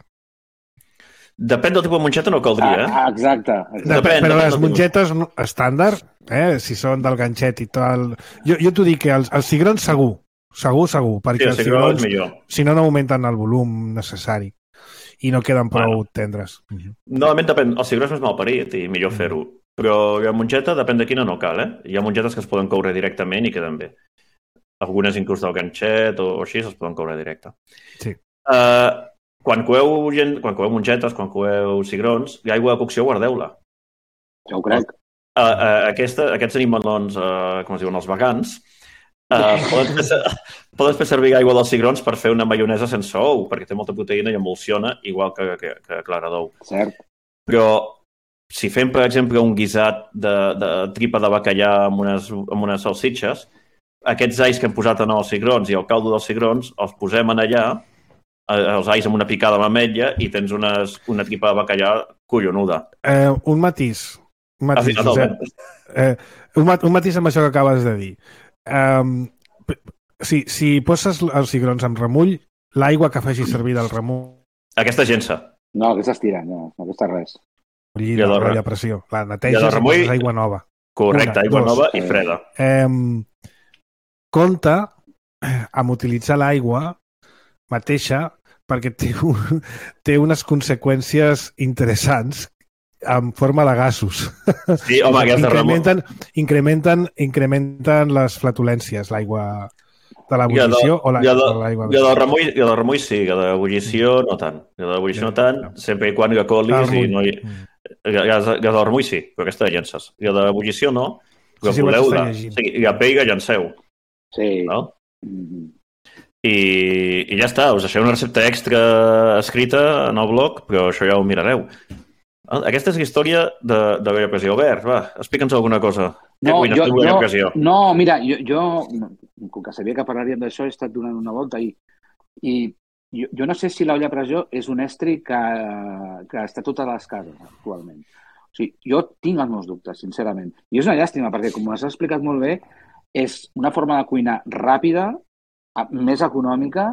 Speaker 2: Depèn del tipus de mongeta, no caldria, eh?
Speaker 3: Ah, exacte. exacte.
Speaker 1: Depèn, però depèn les mongetes estàndard, eh? Si són del ganxet i tal... Jo, jo t'ho dic que els, els cigrons segur, segur, segur, perquè sí, els cigrons, si no, no augmenten el volum necessari i no queden prou bueno, tendres.
Speaker 2: Normalment depèn, el cigró és més malparit i millor fer-ho, però la mongeta depèn de quina no cal, eh? Hi ha mongetes que es poden coure directament i queden bé. Algunes inclús del ganxet o, o així es poden coure directe.
Speaker 1: Sí.
Speaker 2: Uh, quan coeu, quan coeu mongetes, quan coeu cigrons, l'aigua de cocció guardeu-la.
Speaker 3: Ja ho crec.
Speaker 2: Uh, uh, aquesta, aquests animalons, uh, com es diuen, els vegans, uh, poden, fer, poden fer servir aigua dels cigrons per fer una maionesa sense ou, perquè té molta proteïna i emulsiona, igual que, que, que clara d'ou.
Speaker 3: Cert.
Speaker 2: Però si fem, per exemple, un guisat de, de tripa de bacallà amb unes, amb unes salsitxes, aquests alls que hem posat en els cigrons i el caldo dels cigrons els posem en allà, els alls amb una picada amb ametlla i tens unes, una tripa de bacallà collonuda.
Speaker 1: Eh, un matís. Un matís, ah, sí, eh, un, mat, un matís amb això que acabes de dir. Um, si, si poses els cigrons amb remull, l'aigua que faci servir del remull...
Speaker 2: Aquesta gensa.
Speaker 3: No, aquesta es tira, no, no aquesta res.
Speaker 1: I la olla a pressió. La neteges i poses aigua nova.
Speaker 2: Correcte, una, aigua dos, nova i freda.
Speaker 1: Eh, compte amb utilitzar l'aigua mateixa perquè té, un, té unes conseqüències interessants en forma de gasos.
Speaker 2: Sí, home, aquesta
Speaker 1: incrementen, incrementen, incrementen les flatulències, l'aigua de l'ebullició o l'aigua...
Speaker 2: I del remull, i del remull sí, i de l'ebullició no tant. I de l'ebullició no tant, sempre i quan hi ha colis i no hi... Gas del remull sí, però aquesta de llences. I de l'ebullició no, però voleu-la. I a peiga llanceu.
Speaker 3: Sí.
Speaker 2: I, I ja està, us deixeu una recepta extra escrita en el blog, però això ja ho mirareu. Aquesta és la història de, de l'olla a pressió. Albert, va, explica'ns alguna cosa.
Speaker 3: No, jo, jo, no, mira, jo, jo, com que sabia que parlaríem d'això, he estat donant una volta i, i jo, jo no sé si l'olla a pressió és un estri que, que està a totes les cases actualment. O sigui, jo tinc els meus dubtes, sincerament. I és una llàstima, perquè, com has explicat molt bé, és una forma de cuinar ràpida, més econòmica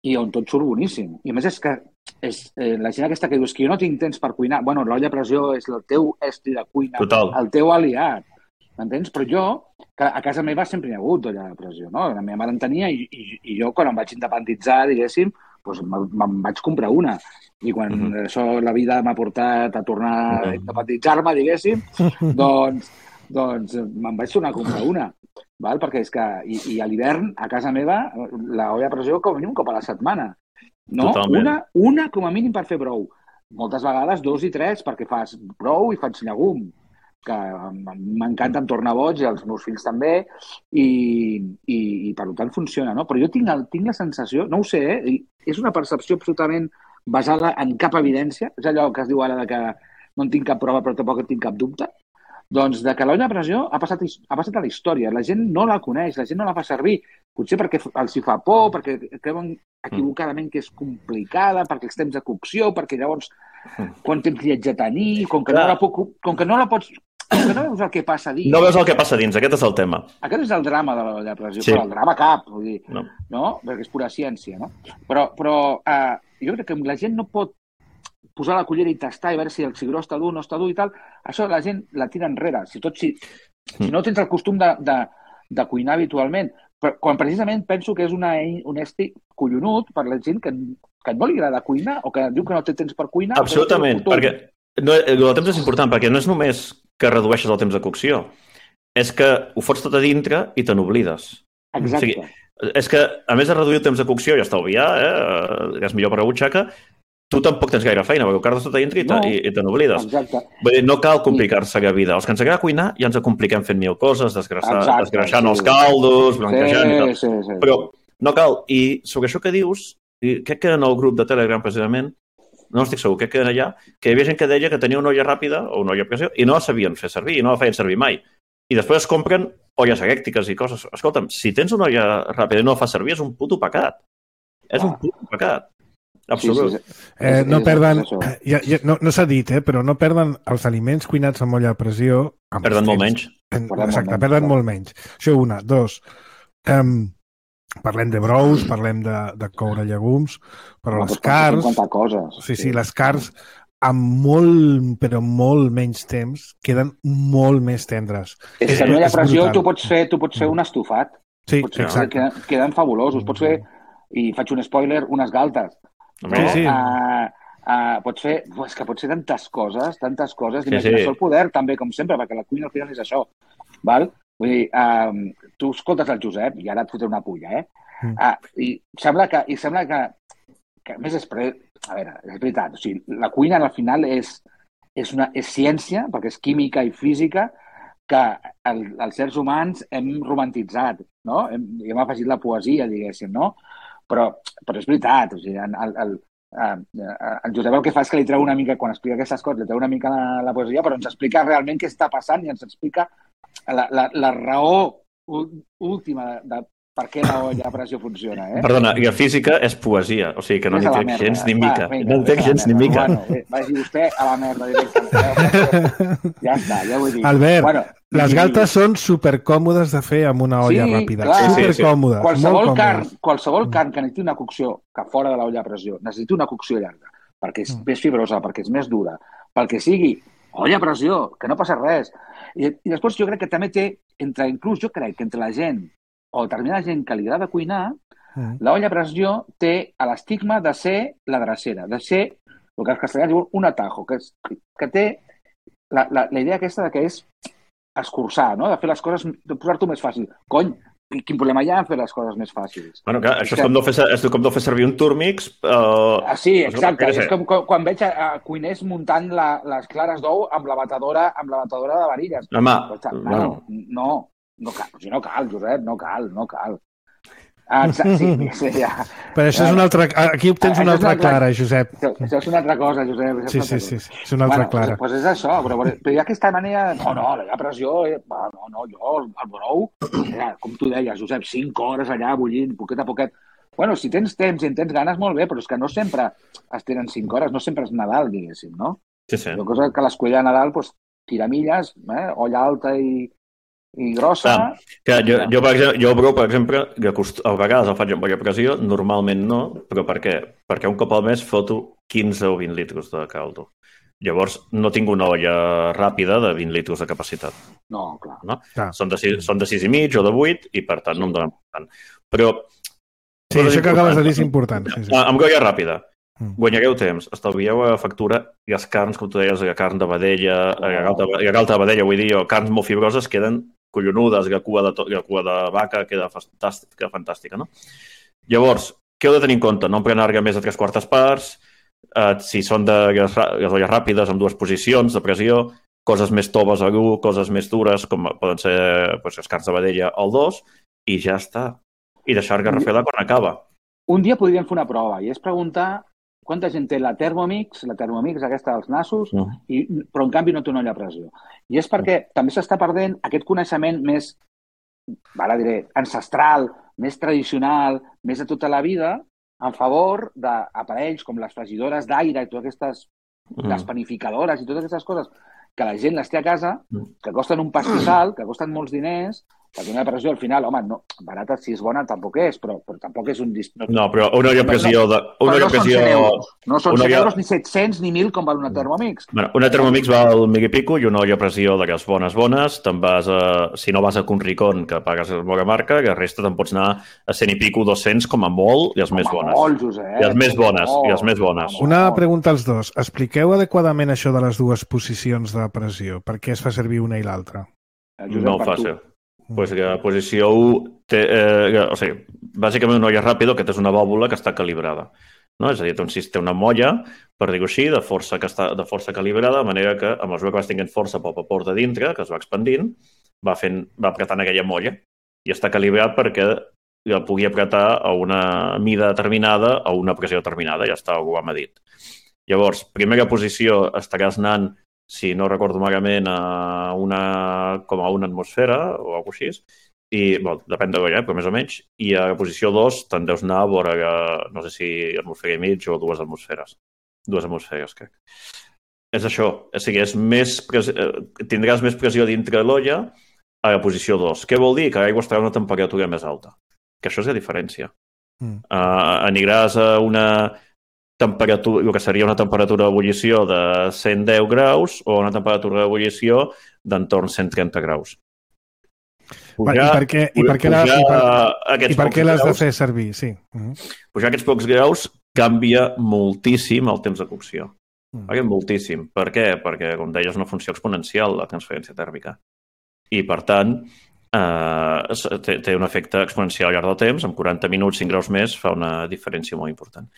Speaker 3: i on tot surt boníssim. I a més és que és, eh, la gent aquesta que dius que jo no tinc temps per cuinar, bueno, l'olla a pressió és el teu estri de cuina,
Speaker 2: total,
Speaker 3: el teu aliat, m'entens? Però jo, que a casa meva sempre hi ha hagut olla a pressió, no? La meva mare en tenia i, i, i jo, quan em vaig independitzar, diguéssim, doncs me'n vaig comprar una. I quan mm-hmm. això la vida m'ha portat a tornar a independitzar-me, diguéssim, doncs, doncs me'n vaig tornar a comprar una. Val? Perquè és que, i, i a l'hivern, a casa meva, l'olla a pressió com a mínim un cop a la setmana. No? Una, una com a mínim per fer brou. Moltes vegades dos i tres perquè fas brou i faig llegum, que m'encanta, em torna boig i els meus fills també, i, i, i per tant funciona, no? Però jo tinc, el, tinc la sensació, no ho sé, eh? És una percepció absolutament basada en cap evidència, és allò que es diu ara de que no en tinc cap prova però tampoc en tinc cap dubte, doncs de que l'olla a pressió ha passat, ha passat a la història. La gent no la coneix, la gent no la fa servir. Potser perquè els hi fa por, perquè creuen equivocadament que és complicada, perquè els temps de cocció, perquè llavors quant temps li haig de tenir, com que no la, puc, com que no la pots... Com que no veus el que passa dins.
Speaker 2: No veus el que passa dins, aquest és el tema.
Speaker 3: Aquest és el drama de l'olla a pressió, sí. Però el drama cap, vull dir, no. No? Perquè és pura ciència, no? Però, però uh, jo crec que la gent no pot posar la cullera i tastar i veure si el cigró està dur o no està dur i tal, això la gent la tira enrere. Si, tot, si, si no tens el costum de, de, de cuinar habitualment, però quan precisament penso que és una, un estri collonut per la gent que, que no li agrada cuinar o que diu que no té temps per cuinar.
Speaker 2: Absolutament, perquè no, el temps és important, perquè no és només que redueixes el temps de cocció, és que ho fots tot a dintre i te n'oblides.
Speaker 3: Exacte.
Speaker 2: O sigui, és que, a més de reduir el temps de cocció i estalviar, eh, és millor per la butxaca, tu tampoc tens gaire feina, perquè ho cardes tot a dintre i, no, i, i te n'oblides. Vull dir, no cal complicar-se la vida. Els que ens agrada cuinar ja ens compliquem fent mil coses, desgraixant sí. els caldos, blanquejant sí, i tal. Sí, sí, Però no cal. I sobre això que dius, crec que en el grup de Telegram, precisament, no estic segur, crec que era allà, que hi havia gent que deia que tenia una olla ràpida o una olla a pressió i no la sabien fer servir, i no la feien servir mai. I després es compren olles elèctriques i coses. Escolta'm, si tens una olla ràpida i no la fas servir, és un puto pecat. És un puto pecat. Absolut. Sí, sí, sí.
Speaker 1: Eh, no perden, ja, ja, no, no s'ha dit, eh, però no perden els aliments cuinats amb olla a pressió.
Speaker 2: Perden molt menys.
Speaker 1: En, exacte, perden molt menys. Això una. Dos, um, parlem de brous, parlem de, de coure llegums, però les carns...
Speaker 3: Coses,
Speaker 1: sí, sí, les carns amb molt, però molt menys temps, queden molt més tendres.
Speaker 3: És que amb olla a pressió tu pots fer, tu pots fer un estofat.
Speaker 1: Sí,
Speaker 3: pots fer,
Speaker 1: exacte.
Speaker 3: Queden, queden fabulosos. Pots fer, i faig un spoiler, unes galtes. No?
Speaker 1: Sí, sí.
Speaker 3: Uh, uh, pots fer, és que pots fer tantes coses, tantes coses, d'imaginació
Speaker 2: sí, sí.
Speaker 3: al poder, també, com sempre, perquè la cuina al final és això. Val? Vull dir, um, tu escoltes el Josep, i ara et fotré una pulla, eh? Mm. Uh, i sembla que, i sembla que, que més després, a veure, és veritat, o sigui, la cuina al final és, és, una, és ciència, perquè és química i física, que el, els sers humans hem romantitzat, no? Hem, hem afegit la poesia, diguéssim, no? Però, però és veritat, o sigui, el, el, el, el Josep el que fa és que li treu una mica, quan explica aquestes coses, li treu una mica la, la poesia, però ens explica realment què està passant i ens explica la, la, la raó última de, de per què l'olla a pressió funciona. Eh?
Speaker 2: Perdona, i la física és poesia, o sigui que no n'hi té gens ni mica. Va, vinga, no n'hi té gens ni mica.
Speaker 3: Bueno, vagi vostè a la merda directament. Ja està, ja ho he dit.
Speaker 1: Albert, bueno, les galtes són supercòmodes de fer amb una olla
Speaker 3: sí,
Speaker 1: ràpida.
Speaker 3: Clar.
Speaker 1: Supercòmodes,
Speaker 3: sí, sí. Qualsevol
Speaker 1: molt còmodes.
Speaker 3: carn, qualsevol carn que necessiti una cocció, que fora de l'olla a pressió, necessiti una cocció llarga, perquè és més fibrosa, perquè és més dura, pel que sigui, olla a pressió, que no passa res. I, i després jo crec que també té, entre inclús jo crec que entre la gent o determinada gent que li agrada cuinar, Mm. L'olla a pressió té l'estigma de ser la drecera, de ser el que els castellans diuen un atajo, que, és, que té la, la, la idea aquesta de que és escurçar, no? De fer les coses, de posar-t'ho més fàcil. Cony, quin problema hi ha en fer les coses més fàcils?
Speaker 2: Bueno, clar, això és, que... és, com no fer, és com no fer servir un Turmix. Uh...
Speaker 3: Ah, sí, exacte. És com quan veig a, a cuiners muntant la, les clares d'ou amb la batedora, amb la batedora de varilles.
Speaker 2: Home,
Speaker 3: pues, bueno. No, no cal, si no cal, Josep, no cal, no cal. Ah, sí, sí, ja.
Speaker 1: Però això és una altra... Aquí obtens una altra clara, Josep.
Speaker 3: Això és una altra cosa, Josep.
Speaker 1: Sí, sí, sí, és una altra clara.
Speaker 3: Doncs és això, però hi ha aquesta manera... No, no, la pressió... No, no, jo, el brou... Com tu deies, Josep, cinc hores allà bullint, poquet a poquet. Bueno, si tens temps i en tens ganes, molt bé, però és que no sempre es tenen cinc hores, no sempre és Nadal, diguéssim, no?
Speaker 2: Sí, sí.
Speaker 3: La cosa que l'escuella de Nadal, doncs, tiramilles, eh? Olla alta i... i grossa...
Speaker 2: Ah, que jo, jo, per exemple, jo, bro, per exemple, que cost... a vegades el faig amb olla a pressió, normalment no, però per què? Perquè un cop al mes foto quinze o vint litres de caldo. Llavors, no tinc una olla ràpida de vint litres de capacitat.
Speaker 3: No, clar.
Speaker 2: No?
Speaker 1: clar.
Speaker 2: Són, de sis, són de sis i mig o de vuit i, per tant, sí. no em donen tant. Però...
Speaker 1: Sí, això que acabes de dir és important. Sí, sí.
Speaker 2: Amb olla ràpida. Mm. Guanyareu temps, estalvieu a factura i les carns, com tu deies, la carn de vedella, oh. la galta de vedella, vull dir, o carns molt fibroses queden collonudes, la cua de, la cua de vaca queda fantàstica, queda fantàstica, no? Llavors, què heu de tenir en compte? No emprenar-ga més de tres quartes parts, eh, si són de les, les olles ràpides amb dues posicions de pressió, coses més toves a l'u, coses més dures, com poden ser pues, les carns de vedella al dos, i ja està. I deixar-ga refer-la quan acaba.
Speaker 3: Un dia podríem fer una prova, i és preguntar quanta gent té la Thermomix, la Thermomix aquesta dels nassos, mm. i, però en canvi no té una olla a pressió. I és perquè mm. també s'està perdent aquest coneixement més, ara diré, ancestral, més tradicional, més de tota la vida, en favor d'aparells com les fregidores d'aire i totes aquestes, mm. les panificadores i totes aquestes coses que la gent les té a casa, que costen un pastissal, que costen molts diners, perquè una pressió al final, home, no, barata si és bona tampoc és, però, però tampoc és un... No,
Speaker 2: no però una olla a pressió... De, una
Speaker 3: però no
Speaker 2: pressió...
Speaker 3: són cent euros, no són cent
Speaker 2: olla...
Speaker 3: euros ni set-cents ni mil com val una Thermomix.
Speaker 2: Bueno, una Thermomix val mil i pico i una olla a pressió de les bones bones, te'n vas a... Si no vas a Conricón, que pagues la bona marca, que resta te'n pots anar a cent i pico, dos-cents com a molt, i les
Speaker 3: com
Speaker 2: més bones.
Speaker 3: Molt, Josep.
Speaker 2: I les més bones, i les més bones.
Speaker 1: Una pregunta als dos. Expliqueu adequadament això de les dues posicions de pressió. Per què es fa servir una i l'altra?
Speaker 2: No ho fa ser. Pues que la posició u té, eh, o sigui, bàsicament una olla ràpida que és una vàlvula que està calibrada. No? És a dir, té un sistema, una molla, per dir-ho així, de força, que està, de força calibrada, de manera que a mesura que vas tinguent força pel vapor de dintre, que es va expandint, va, fent, va apretant aquella molla i està calibrat perquè la pugui apretar a una mida determinada a una pressió determinada, ja està, algú ho ha medit. Llavors, primera posició estaràs anant, si no recordo malament, a una, com a una atmosfera o alguna cosa així, i, bueno, depèn de l'olla, eh, però més o menys, i a la posició dos te'n deus anar a vora, no sé si atmosfera i mig o dues atmosferes. Dues atmosferes, crec. És això, o sigui, és més pres... tindràs més pressió dintre l'olla a la posició dos. Què vol dir? Que l'aigua estarà a una temperatura més alta. Que això és la diferència. Mm. Uh, aniràs a una... temperatura, el que seria una temperatura d'ebullició de cent deu graus o una temperatura d'ebullició d'entorn cent trenta graus.
Speaker 1: Pujar, I per què, i per què, la, i per, i per què l'has de fer servir? Sí. Uh-huh.
Speaker 2: Pujar aquests pocs graus canvia moltíssim el temps de cocció. Uh-huh. Canvia moltíssim. Per què? Perquè, com deies, és una funció exponencial la transferència tèrmica. I, per tant, eh, té, té un efecte exponencial al llarg del temps. En quaranta minuts, cinc graus més, fa una diferència molt important.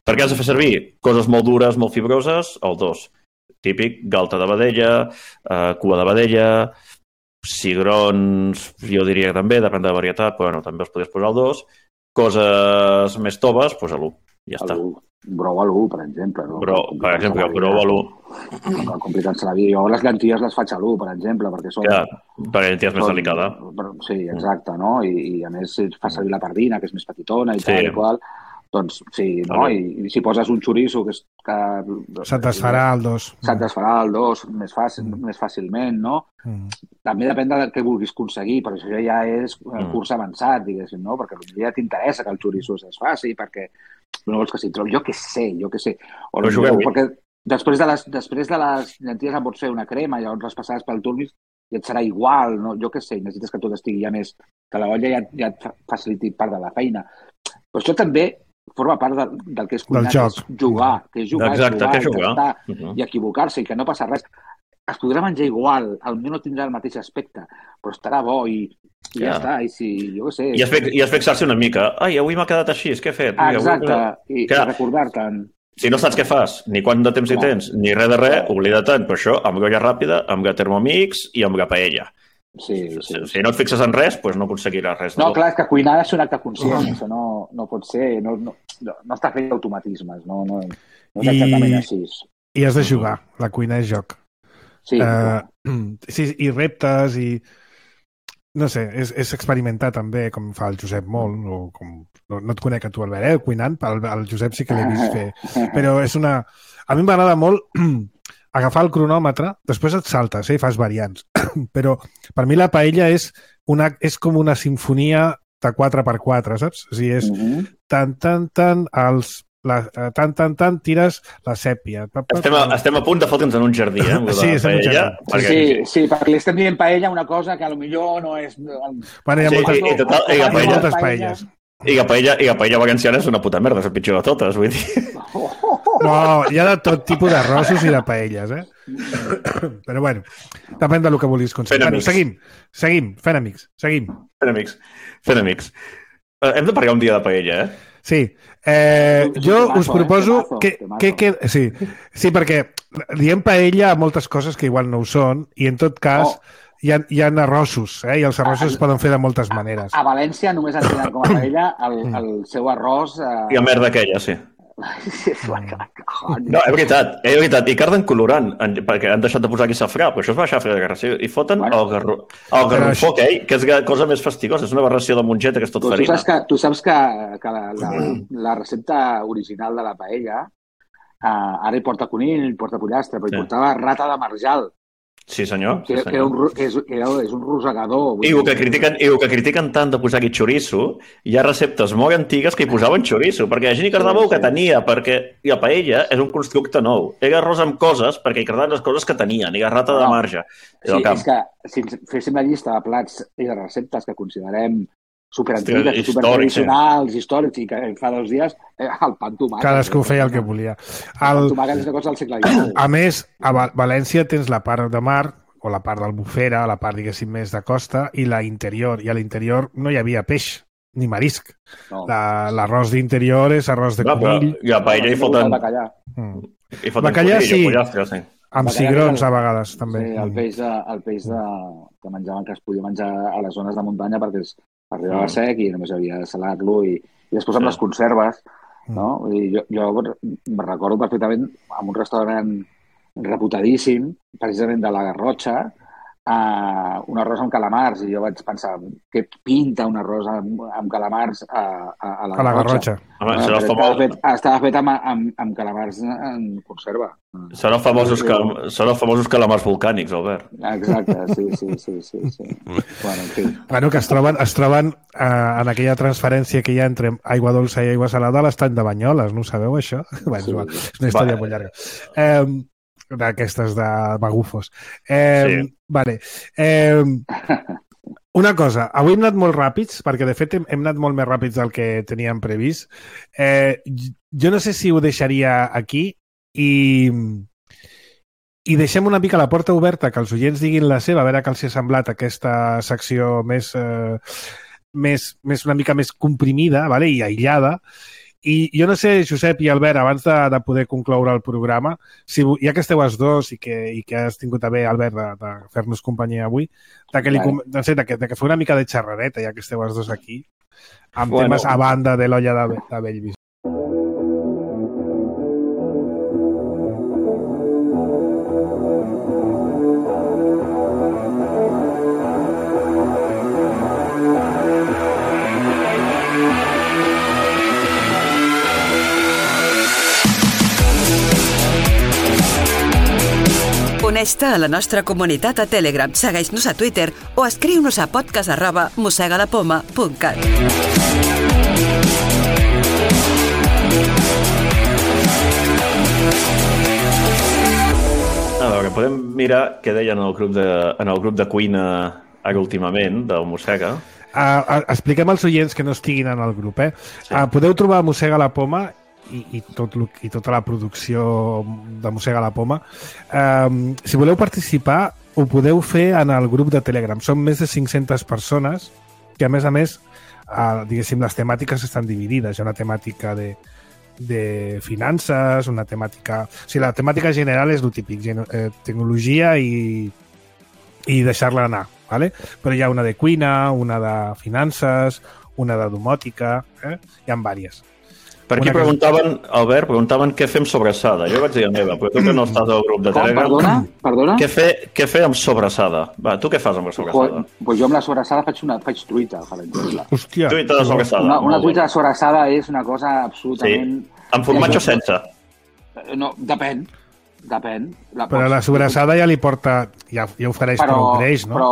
Speaker 2: Per què has de fer servir? Coses molt dures, molt fibroses, el dos. Típic, galta de vedella, eh, cua de vedella, cigrons, jo diria que també, depèn de la varietat, però bueno, també els podries posar al dos. Coses més toves, doncs a l'u. Ja està.
Speaker 3: Brou a l'u, per exemple. No?
Speaker 2: Bro, per exemple, brou a l'u.
Speaker 3: No complicant-se la vida. Jo les llenties les faig a l'u, per exemple, perquè són...
Speaker 2: Ja, per llenties més delicada.
Speaker 3: Sí, exacte, no? I, i a més fa servir la pardina, que és més petitona i sí. tal i qual. Doncs sí, no? I, i si poses un xoriço que... que
Speaker 1: se't desfarà el dos.
Speaker 3: Se't desfarà el dos més, fàcil, mm. més fàcilment, no? Mm. També depèn del que vulguis aconseguir, però això ja és mm. curs avançat, diguéssim, no? Perquè potser ja t'interessa que el xoriço es faci, perquè no vols que s'hi trobi. Jo què sé, jo què sé. O no jugueu, perquè després de, les, després de les llenties en pots fer una crema i llavors les passades pel turmix i et serà igual, no? Jo què sé, necessites que tot estigui ja més... que la olla ja, ja et faciliti part de la feina. Però això també forma part de, del que és cuinar,
Speaker 1: Del joc.
Speaker 3: que és jugar, que és jugar,
Speaker 2: Exacte,
Speaker 3: jugar,
Speaker 2: que és jugar.
Speaker 3: intentar
Speaker 2: Uh -huh.
Speaker 3: i equivocar-se i que no passa res. Es podrà menjar igual, potser no tindrà el mateix aspecte, però estarà bo i, i ja
Speaker 2: Ja.
Speaker 3: està. I si, jo què sé...
Speaker 2: I es, fi- i es fixar-se una mica. Ai, avui m'ha quedat així, què he fet? Ui, avui-
Speaker 3: Exacte, i, i
Speaker 2: Clar.
Speaker 3: recordar-te'n.
Speaker 2: Si no saps què fas, ni quant de temps hi
Speaker 3: Clar.
Speaker 2: tens, ni res de res, oblida-te'n. Per això, amb olla ràpida, amb Thermomix i amb paella.
Speaker 3: Sí, sí.
Speaker 2: Si no et fixes en res, doncs no aconseguiràs res. de
Speaker 3: No,
Speaker 2: bo.
Speaker 3: clar, és que cuinar és un acte conscient, això no, no pot ser, no, no, no, no està fet d'automatismes, no, no, no és
Speaker 1: I-
Speaker 3: exactament així.
Speaker 1: I has de jugar. La cuina és joc.
Speaker 3: Sí,
Speaker 1: Uh, sí, i reptes i... No sé, és, és experimentar també, com fa el Josep molt, o com... No, no et conec a tu, Albert, eh, cuinant, el, el Josep sí que l'he vist fer. Però és una... A mi m'agrada molt agafar el cronòmetre, després et saltes eh, i fas variants. Però per mi la paella és, una, és com una sinfonia de quatre per quatre, saps? O sigui, és
Speaker 3: Mhm.
Speaker 1: tan, tan, tan, els... La, tan, tan, tan, tires la sèpia. Pa, pa,
Speaker 2: Estem a, estem a punt de fotre'ns en un jardí, eh? amb lo de
Speaker 1: Sí, estem en un
Speaker 2: paella,
Speaker 1: jardí.
Speaker 2: perquè-
Speaker 3: Sí, sí, perquè li estem dient paella una cosa que potser no és...
Speaker 1: Bueno, hi ha
Speaker 2: Sí,
Speaker 1: moltes,
Speaker 2: i- i total, i la
Speaker 1: hi ha
Speaker 2: paella-
Speaker 1: moltes paelles.
Speaker 2: I la paella, i la paella valenciana és una puta merda, és el pitjor de totes, vull dir.
Speaker 1: No, hi ha de tot tipus d'arrossos i de paelles, eh? Però bueno, depèn del que vulguis
Speaker 2: Fent
Speaker 1: aconseguir. Bueno,
Speaker 2: amics.
Speaker 1: seguim, seguim, fent amics, seguim.
Speaker 2: Fent amics, fent amics. Eh, hem de parlar un dia de paella, eh?
Speaker 1: Sí, eh,
Speaker 3: És un
Speaker 1: jo
Speaker 3: temazo,
Speaker 1: us
Speaker 3: eh?
Speaker 1: proposo
Speaker 3: Temazo,
Speaker 1: que,
Speaker 3: temazo.
Speaker 1: que, que sí, sí, perquè diem paella a moltes coses que igual no ho són i en tot cas
Speaker 3: Oh.
Speaker 1: hi, ha, hi ha arrossos, eh? I els arrossos es poden fer de moltes maneres.
Speaker 3: A València només entenen com a paella el, el seu arròs... Eh...
Speaker 2: I la merda aquella, sí.
Speaker 3: és la que...
Speaker 2: No, és veritat, és veritat. I carden colorant, en, perquè han deixat de posar aquí safrà, però això és baixar a fer de guerra. I foten
Speaker 3: Bueno.
Speaker 2: el, garro, el garrofó,
Speaker 1: això-
Speaker 2: que, eh, que és ga- cosa més fastigosa. És una barració de mongeta que és tot
Speaker 3: Tu, tu
Speaker 2: farina.
Speaker 3: saps que, tu saps que, que la, la, la recepta original de la paella eh, ara hi porta conill, hi porta pollastre, però hi
Speaker 2: Sí.
Speaker 3: portava rata de marjal,
Speaker 2: Sí, senyor.
Speaker 3: que,
Speaker 2: Sí,
Speaker 3: que, era un,
Speaker 2: senyor.
Speaker 3: ro- que és, que era, és un rosegador. vull
Speaker 2: I el
Speaker 3: dir.
Speaker 2: que critiquen, i el que critiquen tant de posar-hi xoriço, hi ha receptes molt antigues que hi posaven xoriço, perquè la gent hi cardava
Speaker 3: Sí,
Speaker 2: el que
Speaker 3: sí.
Speaker 2: tenia, perquè i la paella és un constructe nou. Era arròs amb coses perquè hi cardaven les coses que tenien, i la rata de
Speaker 3: No.
Speaker 2: marge. I
Speaker 3: Sí,
Speaker 2: del camp.
Speaker 3: és que si ens féssim la llista de plats i de receptes que considerem superantigues,
Speaker 2: Hòstia,
Speaker 3: i
Speaker 2: històrics,
Speaker 3: supertradicionals, històrics, i que fa dos dies, eh, el pa amb tomàquet.
Speaker 1: Cadascú feia el que volia.
Speaker 3: El pa
Speaker 1: El,
Speaker 3: amb tomàquet és una cosa del segle dinou.
Speaker 1: a més, a Val- València tens la part de mar, o la part d'Albufera, la part, diguéssim, més de costa, i la interior. I a l'interior no hi havia peix, ni marisc.
Speaker 3: No.
Speaker 1: La- L'arròs d'interior és arròs de
Speaker 2: Clar, però
Speaker 1: conill,
Speaker 2: i a paella hi
Speaker 3: El
Speaker 2: foten,
Speaker 3: bacallà.
Speaker 1: mm.
Speaker 2: hi foten
Speaker 1: Bacallà,
Speaker 2: conill,
Speaker 1: sí.
Speaker 2: pollastre, sí.
Speaker 1: amb
Speaker 3: Bacallà
Speaker 1: cigrons
Speaker 3: és el-
Speaker 1: a vegades, també.
Speaker 3: Sí, el
Speaker 1: Mm.
Speaker 3: peix, de, el peix de, que menjaven, que es podia menjar a les zones de muntanya perquè es arribava
Speaker 2: Mm.
Speaker 3: sec i només havia de salar-lo. I, I després amb
Speaker 2: Sí.
Speaker 3: les conserves,
Speaker 1: Mm.
Speaker 3: no? I jo, jo me recordo perfectament en un restaurant reputadíssim, precisament de la Garrotxa, uh, un arròs amb calamars, i jo vaig pensar, què pinta un arròs amb, amb calamars a, a, a la
Speaker 1: A la
Speaker 3: Garrotxa?
Speaker 1: Garrotxa.
Speaker 2: Home,
Speaker 3: No,
Speaker 2: serà,
Speaker 3: però estava,
Speaker 2: famós,
Speaker 3: fet, estava fet amb, amb, amb calamars en conserva.
Speaker 2: serà famosos, cal, serà famosos calamars volcànics, Albert.
Speaker 3: Exacte, sí, sí, sí, sí, sí. Bueno, en fi.
Speaker 1: Bueno, que es troben, es troben eh, en aquella transferència que hi ha entre aigua dolça i aigua salada a l'estany de Banyoles, no ho sabeu, això? Bueno,
Speaker 3: Sí.
Speaker 1: igual, és una història
Speaker 2: Va.
Speaker 1: molt llarga. Eh, d'aquestes de magufos. Eh,
Speaker 2: Sí.
Speaker 1: Vale. Eh, una cosa, avui hem anat molt ràpids, perquè de fet hem, hem anat molt més ràpids del que teníem previst. Eh, jo no sé si ho deixaria aquí i, i deixem una mica la porta oberta que els oients diguin la seva, a veure què els ha semblat aquesta secció més, eh, més, més una mica més comprimida, vale? I aïllada. I jo no sé, Josep i Albert, abans de, de poder concloure el programa, si, ja que esteu els dos i que, i que has tingut a bé, Albert, de, de fer-nos companyia avui, de que, li,
Speaker 3: Vale.
Speaker 1: no sé, de, que, de que feu una mica de xerrareta, ja que esteu els dos aquí, amb
Speaker 2: Bueno.
Speaker 1: temes a banda de l'olla de, de Bellvis.
Speaker 4: Uneix-te a la nostra comunitat a Telegram, segueix-nos a Twitter o escriu-nos a podcast arroba mossegalapoma punt cat.
Speaker 2: A veure, podem mirar què deien en el grup de, en el grup de cuina ara últimament, del Mossega.
Speaker 1: uh, expliquem als oients que no estiguin en el grup, eh? Sí. Uh, podeu trobar Mossega la Poma i, i, tot, i tota la producció de Mossega la Poma. Um, si voleu participar, ho podeu fer en el grup de Telegram. Són més de cinc-centes persones que, a més a més, uh, diguéssim, les temàtiques estan dividides. Hi ha una temàtica de, de finances, una temàtica... O sigui, la temàtica general és el típic, eh, tecnologia i, i deixar-la anar, ¿vale? Però hi ha una de cuina, una de finances, una de domòtica, eh? Hi ha diverses.
Speaker 2: Per aquí preguntaven, Albert, preguntaven què fem sobrassada. Jo vaig dir la meva, però tu que no estàs al grup de Telegram...
Speaker 3: Com? Perdona? Perdona?
Speaker 2: Què fer, què fer amb sobrassada? Va, tu què fas amb la sobrassada?
Speaker 3: Pues, pues jo amb la sobrassada faig, una, faig truita, per exemple.
Speaker 1: Hòstia!
Speaker 2: Truita de sobrassada.
Speaker 3: Una, una truita de sobrassada és una cosa absolutament...
Speaker 2: Sí. Amb formatge o sense?
Speaker 3: No, depèn. Depèn. La
Speaker 1: però
Speaker 3: pots...
Speaker 1: la sobrassada ja li porta... Ja, ja ofereix
Speaker 3: però,
Speaker 1: prou greix, no?
Speaker 3: Però...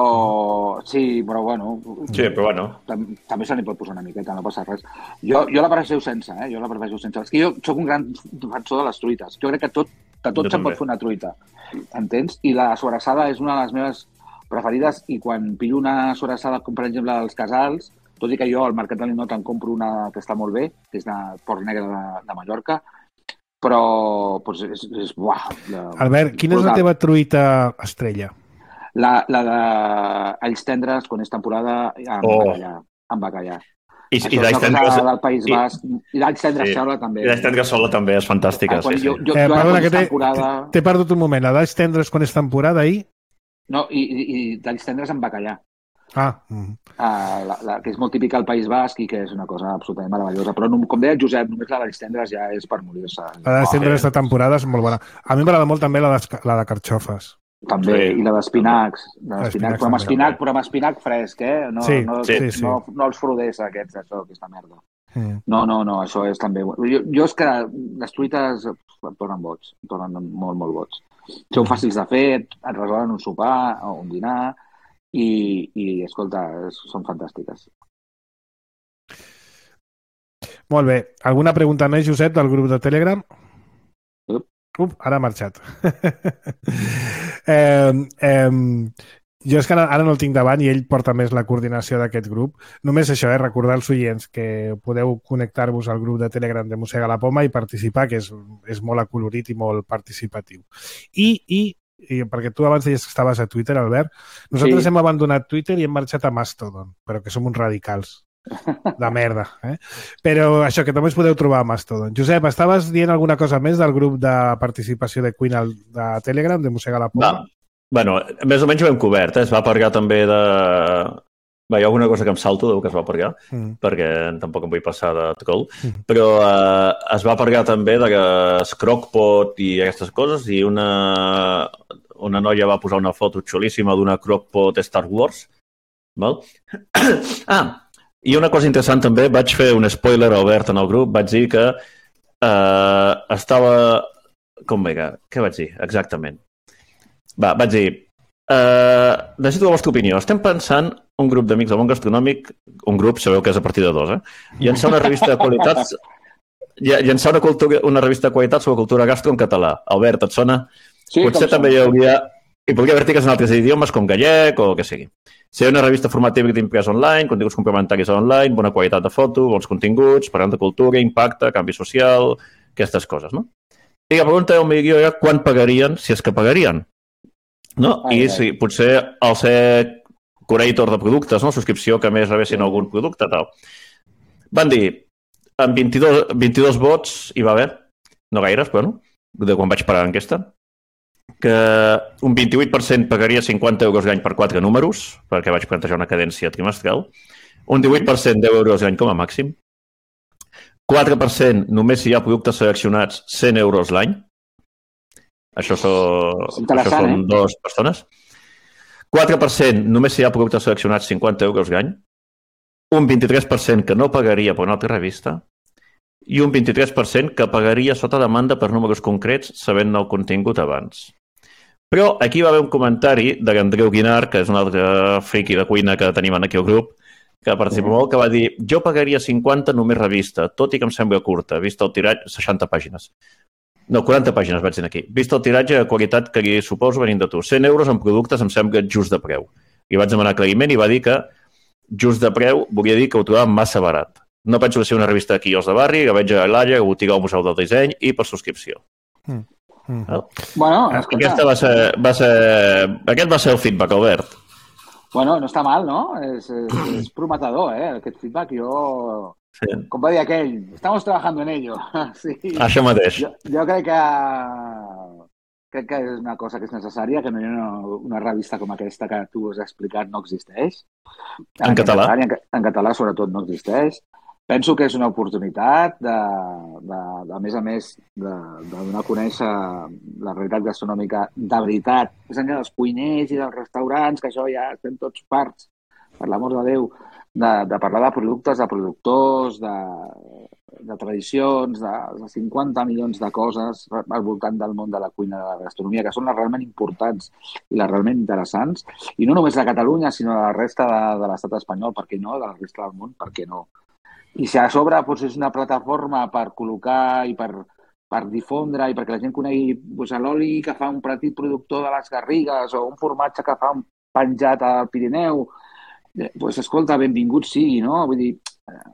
Speaker 3: Sí, però bueno...
Speaker 2: Sí, però bueno.
Speaker 3: Tam també se n'hi pot posar una miqueta, no passa res. Jo, jo la prefereixo sense, eh? Jo la prefereixo sense. És que jo sóc un gran defensor de les truites. Jo crec que tot, de tot se'n pot fer una truita. Entens? I la sobrassada és una de les meves preferides i quan pillo una sobrassada, com per exemple dels Casals, tot i que jo al Mercat de l'Inot en compro una que està molt bé, que és de Port Negre de, de Mallorca, però pues, és, és buah. La,
Speaker 1: Albert, quina és la teva truita estrella?
Speaker 3: La, la de alls tendres, quan és temporada, amb oh. bacallà. Amb bacallà.
Speaker 2: I,
Speaker 3: Això
Speaker 2: i
Speaker 3: és una
Speaker 2: tendres...
Speaker 3: cosa del País Basc. I, i d'alls tendres
Speaker 2: sí.
Speaker 3: sola també.
Speaker 2: I d'alls tendres sola també és fantàstica. Ah, sí,
Speaker 3: jo,
Speaker 2: sí.
Speaker 3: jo,
Speaker 1: eh,
Speaker 3: jo
Speaker 1: perdona, que t'he
Speaker 3: temporada...
Speaker 1: perdut un moment. La d'alls tendres quan és temporada i...
Speaker 3: No, i, i, i d'alls tendres amb bacallà.
Speaker 1: Ah. Mm.
Speaker 3: Uh, la, la, que és molt típica al País Basc i que és una cosa absolutament meravellosa. Però, no, com deia el Josep, només la d'alls tendres ja és per morir-se.
Speaker 1: La d'alls tendres de temporada és molt bona. A mi m'agrada molt també la de, la de carxofes.
Speaker 3: També, sí. I la d'espinacs. D'espinacs, però amb espinac, però amb espinac fresc, eh? No,
Speaker 1: sí,
Speaker 3: no,
Speaker 1: sí, sí.
Speaker 3: no, no els froders aquests, això, aquesta merda.
Speaker 1: Mm.
Speaker 3: No, no, no, això és també... Jo, jo és que les truites em tornen boig, em tornen molt, molt boig. Són fàcils de fer, et resolen un sopar o un dinar i, i escolta, són fantàstiques.
Speaker 1: Molt bé. Alguna pregunta més, Josep, del grup de Telegram? Up, ara ha marxat. eh, eh, jo és que ara, ara no el tinc davant i ell porta més la coordinació d'aquest grup. Només això, eh, recordar als oients que podeu connectar-vos al grup de Telegram de Mossega la Poma i participar, que és, és molt acolorit i molt participatiu. I, i, i perquè tu abans deies que estaves a Twitter, Albert, nosaltres sí. hem abandonat Twitter i hem marxat a Mastodon, però que som uns radicals. De merda, eh? Però això, que també us podeu trobar a Mastodon. Josep, estaves dient alguna cosa més del grup de participació de Cuina de Telegram, de Mossega la Poma?
Speaker 2: Va. Bueno, més o menys ho hem cobert, eh? Es va parlar també de... Va, hi ha alguna cosa que em salto del que es va parlar, mm. perquè tampoc em vull passar de trol, mm. però eh, es va parlar també de Crockpot i aquestes coses, i una, una noia va posar una foto xulíssima d'una Crockpot Star Wars. Val? Ah, i una cosa interessant també, vaig fer un spoiler a Albert en el grup, vaig dir que eh, estava... Com vinga? Què vaig dir? Exactament. Va, vaig dir... Eh, necessito la vostra opinió. Estem pensant, un grup d'amics del món gastronòmic, un grup, sabeu que és a partir de dos, eh? Llançar una revista de qualitats... Llançar una, cultura, una revista de qualitat sobre cultura gastro en català. Albert, et sona?
Speaker 3: Sí,
Speaker 2: potser també hi hauria... I podria haver articles en altres idiomes, com gallec o el que sigui. Ser una revista formativa impresa online, continguts complementaris online, bona qualitat de foto, bons continguts, parlant de cultura, impacte, canvi social, aquestes coses, no? I la pregunta del milió era quan pagarien, si és que pagarien. No? I si potser al ser curator de productes, no? Subscripció que més rebessin algun producte, tal. Van dir, amb vint-i-dos, vint-i-dos vots hi va haver, no gaires, però no, de quan vaig parar l'enquesta, que un vint-i-vuit per cent pagaria cinquanta euros l'any per quatre números, perquè vaig plantejar una cadència trimestral, un divuit per cent deu euros l'any com a màxim, quatre per cent només si hi ha productes seleccionats cent euros l'any, això, so, això són eh? dues persones, quatre per cent només si hi ha productes seleccionats cinquanta euros l'any, un vint-i-tres per cent que no pagaria per una altra revista, i un vint-i-tres per cent que pagaria sota demanda per números concrets sabent el contingut abans. Però aquí va haver un comentari de l'Andreu Guinar, que és un altre friki de cuina que tenim aquí al grup, que participa molt, que va dir jo pagaria cinquanta només revista, tot i que em sembla curta, vist el tiratge, seixanta pàgines. No, quaranta pàgines vaig dir aquí. Vist el tiratge de qualitat que li suposo venint de tu. cent euros en productes em sembla just de preu. I vaig demanar aclariment i va dir que just de preu volia dir que ho trobava massa barat. No penso que sigui una revista de quios de barri, que veig a l'Alla, que botiga al Museu del Disseny i per subscripció. Mm. Mm. No?
Speaker 3: Bueno, escolta...
Speaker 2: Aquesta va ser, va ser... Aquest va ser el feedback, Albert.
Speaker 3: Bueno, no està mal, no? És, és, és prometedor, eh? Aquest feedback, jo... Sí. Com va dir aquell, estamos trabajando en ello. Sí.
Speaker 2: Això mateix.
Speaker 3: Jo, jo crec que crec que és una cosa que és necessària, que no hi ha una, una revista com aquesta que tu has explicat no existeix.
Speaker 2: En, en català?
Speaker 3: En, en català, sobretot, no existeix. Penso que és una oportunitat de, de, de a més a més, de, de donar a conèixer la realitat gastronòmica de veritat, més enllà dels cuiners i dels restaurants, que això ja estem tots parts, per l'amor de Déu, de, de parlar de productes, de productors, de, de tradicions, de, de cinquanta milions de coses al voltant del món de la cuina de la gastronomia, que són les realment importants i les realment interessants, i no només de Catalunya, sinó de la resta de, de l'estat espanyol, per què no, de la resta del món, per què no. I si a sobre doncs, és una plataforma per col·locar i per, per difondre i perquè la gent conegui doncs, l'oli que fa un petit productor de les Garrigues o un formatge que fa un penjat al Pirineu, doncs, escolta, benvingut sigui, no? Vull dir...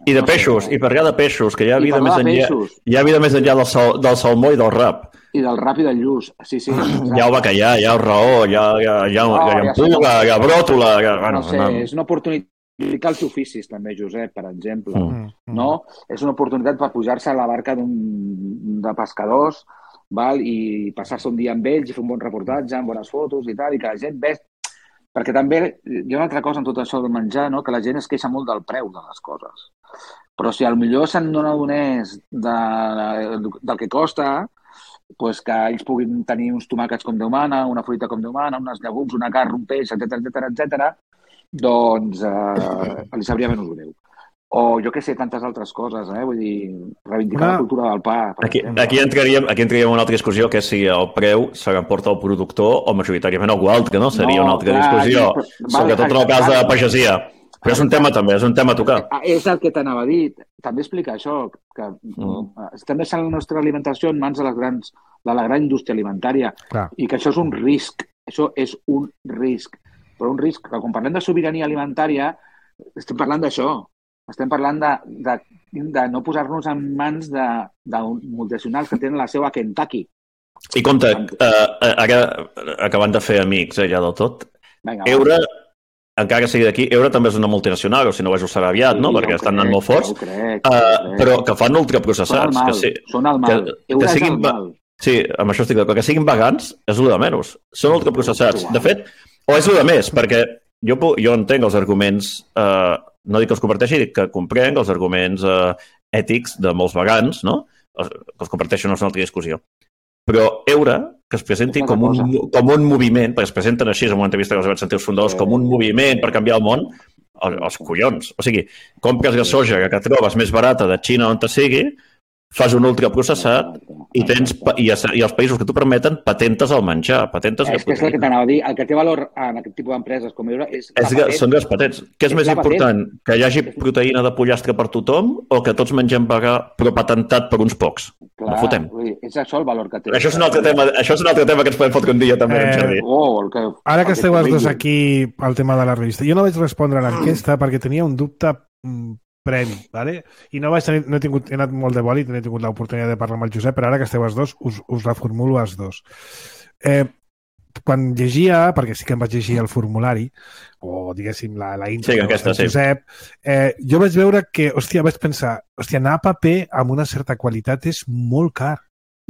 Speaker 2: I de no peixos, sé, i parlar de peixos, que hi ha vida més enllà, hi ha vida més enllà del, sal, del salmó i del rap.
Speaker 3: I del rap i del lluç, sí, sí. Exacte.
Speaker 2: Hi ha el bacallà, hi ha el raó, hi ha, hi ha, hi ha, no, hi ha ampuga, hi ha bròtola... Hi ha,
Speaker 3: no sé, no. És una oportunitat els oficis, també, Josep, per exemple. Mm. No? És una oportunitat per pujar-se a la barca de pescadors, val? I passar-se un dia amb ells i fer un bon reportatge, amb bones fotos i tal, i que la gent ve... Perquè també hi ha una altra cosa en tot això de menjar, no? Que la gent es queixa molt del preu de les coses. Però si potser se'n n'adonés de, de, del que costa, pues que ells puguin tenir uns tomàquets com Déu mana, una fruita com Déu mana, unes llegums, una carn, un peix, etcètera, etcètera, etcètera, doncs eh, li sabria menys greu. O jo què sé, tantes altres coses, eh? Vull dir, reivindicar una... la cultura del pa.
Speaker 2: Aquí, aquí, entraríem, aquí entraríem una altra discussió, que és si el preu se l'emporta el productor o majoritàriament algú altre, no? Seria no, una altra clar, discussió, aquí, sobretot en el cas de pagesia. Però és un tema també, és un tema a tocar.
Speaker 3: És el que t'anava a dir. També explica això, que mm. estem deixant la nostra alimentació en mans de, les grans, de la gran indústria alimentària clar. I que això és un risc. Això és un risc. Però un risc que quan parlem de sobirania alimentària estem parlant d'això. Estem parlant de, de, de no posar-nos en mans de, de multinacionals que tenen la seva a Kentucky.
Speaker 2: I compte, eh, ara acabant de fer amics ja del tot, Venga, Eure, encara que sigui d'aquí, Eure també és una multinacional, o si no ho serà aviat, sí, no? Perquè estan anant molt forts, crec, uh, crec. Però que fan ultraprocessats.
Speaker 3: Són el mal,
Speaker 2: que sí,
Speaker 3: són el mal.
Speaker 2: Que, Eure que siguin, és el mal. Sí, amb això estic d'acord. Que siguin vegans és el de menys. Són ultraprocessats. De fet, o és el de més, perquè jo, jo entenc els arguments, eh, no dic que els comparteixi, dic que comprenc els arguments eh, ètics de molts vegans, no? Els, que els comparteixen no és una altra discussió. Però Eure, que es presenti com un, com un moviment, perquè es presenten així en una entrevista que els vaig sentir els fundadors, com un moviment per canviar el món, els, els collons. O sigui, compres la soja que trobes més barata de Xina on te sigui, fas un ultraprocessat i tens i, i els països que t'ho permeten patentes el menjar, patentes
Speaker 3: és que és el que t'anava a dir, el que té valor en aquest tipus d'empreses com Eure és,
Speaker 2: és que són les patents. Què és, és més important? Patent. Que hi hagi proteïna de pollastre per tothom o que tots mengem vegà però patentat per uns pocs?
Speaker 3: Clar,
Speaker 2: no fotem.
Speaker 3: És això el valor que té.
Speaker 2: Això és un altre tema, això és un altre tema que ens podem fotre un dia també, eh,
Speaker 3: oh, el que,
Speaker 1: ara que esteu els dos aquí al tema de la revista, jo no vaig respondre a l'enquesta perquè tenia un dubte previ, ¿vale? I no vaig tenir, no he, tingut, he anat molt de bòlit, no he tingut l'oportunitat de parlar amb el Josep, però ara que esteu els dos, us, us reformulo els dos. Eh, quan llegia, perquè sí que em vaig llegir el formulari, o diguéssim la, la intro
Speaker 2: sí, aquesta,
Speaker 1: del Josep, sí. eh, jo vaig veure que, hòstia, vaig pensar, hòstia, anar a paper amb una certa qualitat és molt car.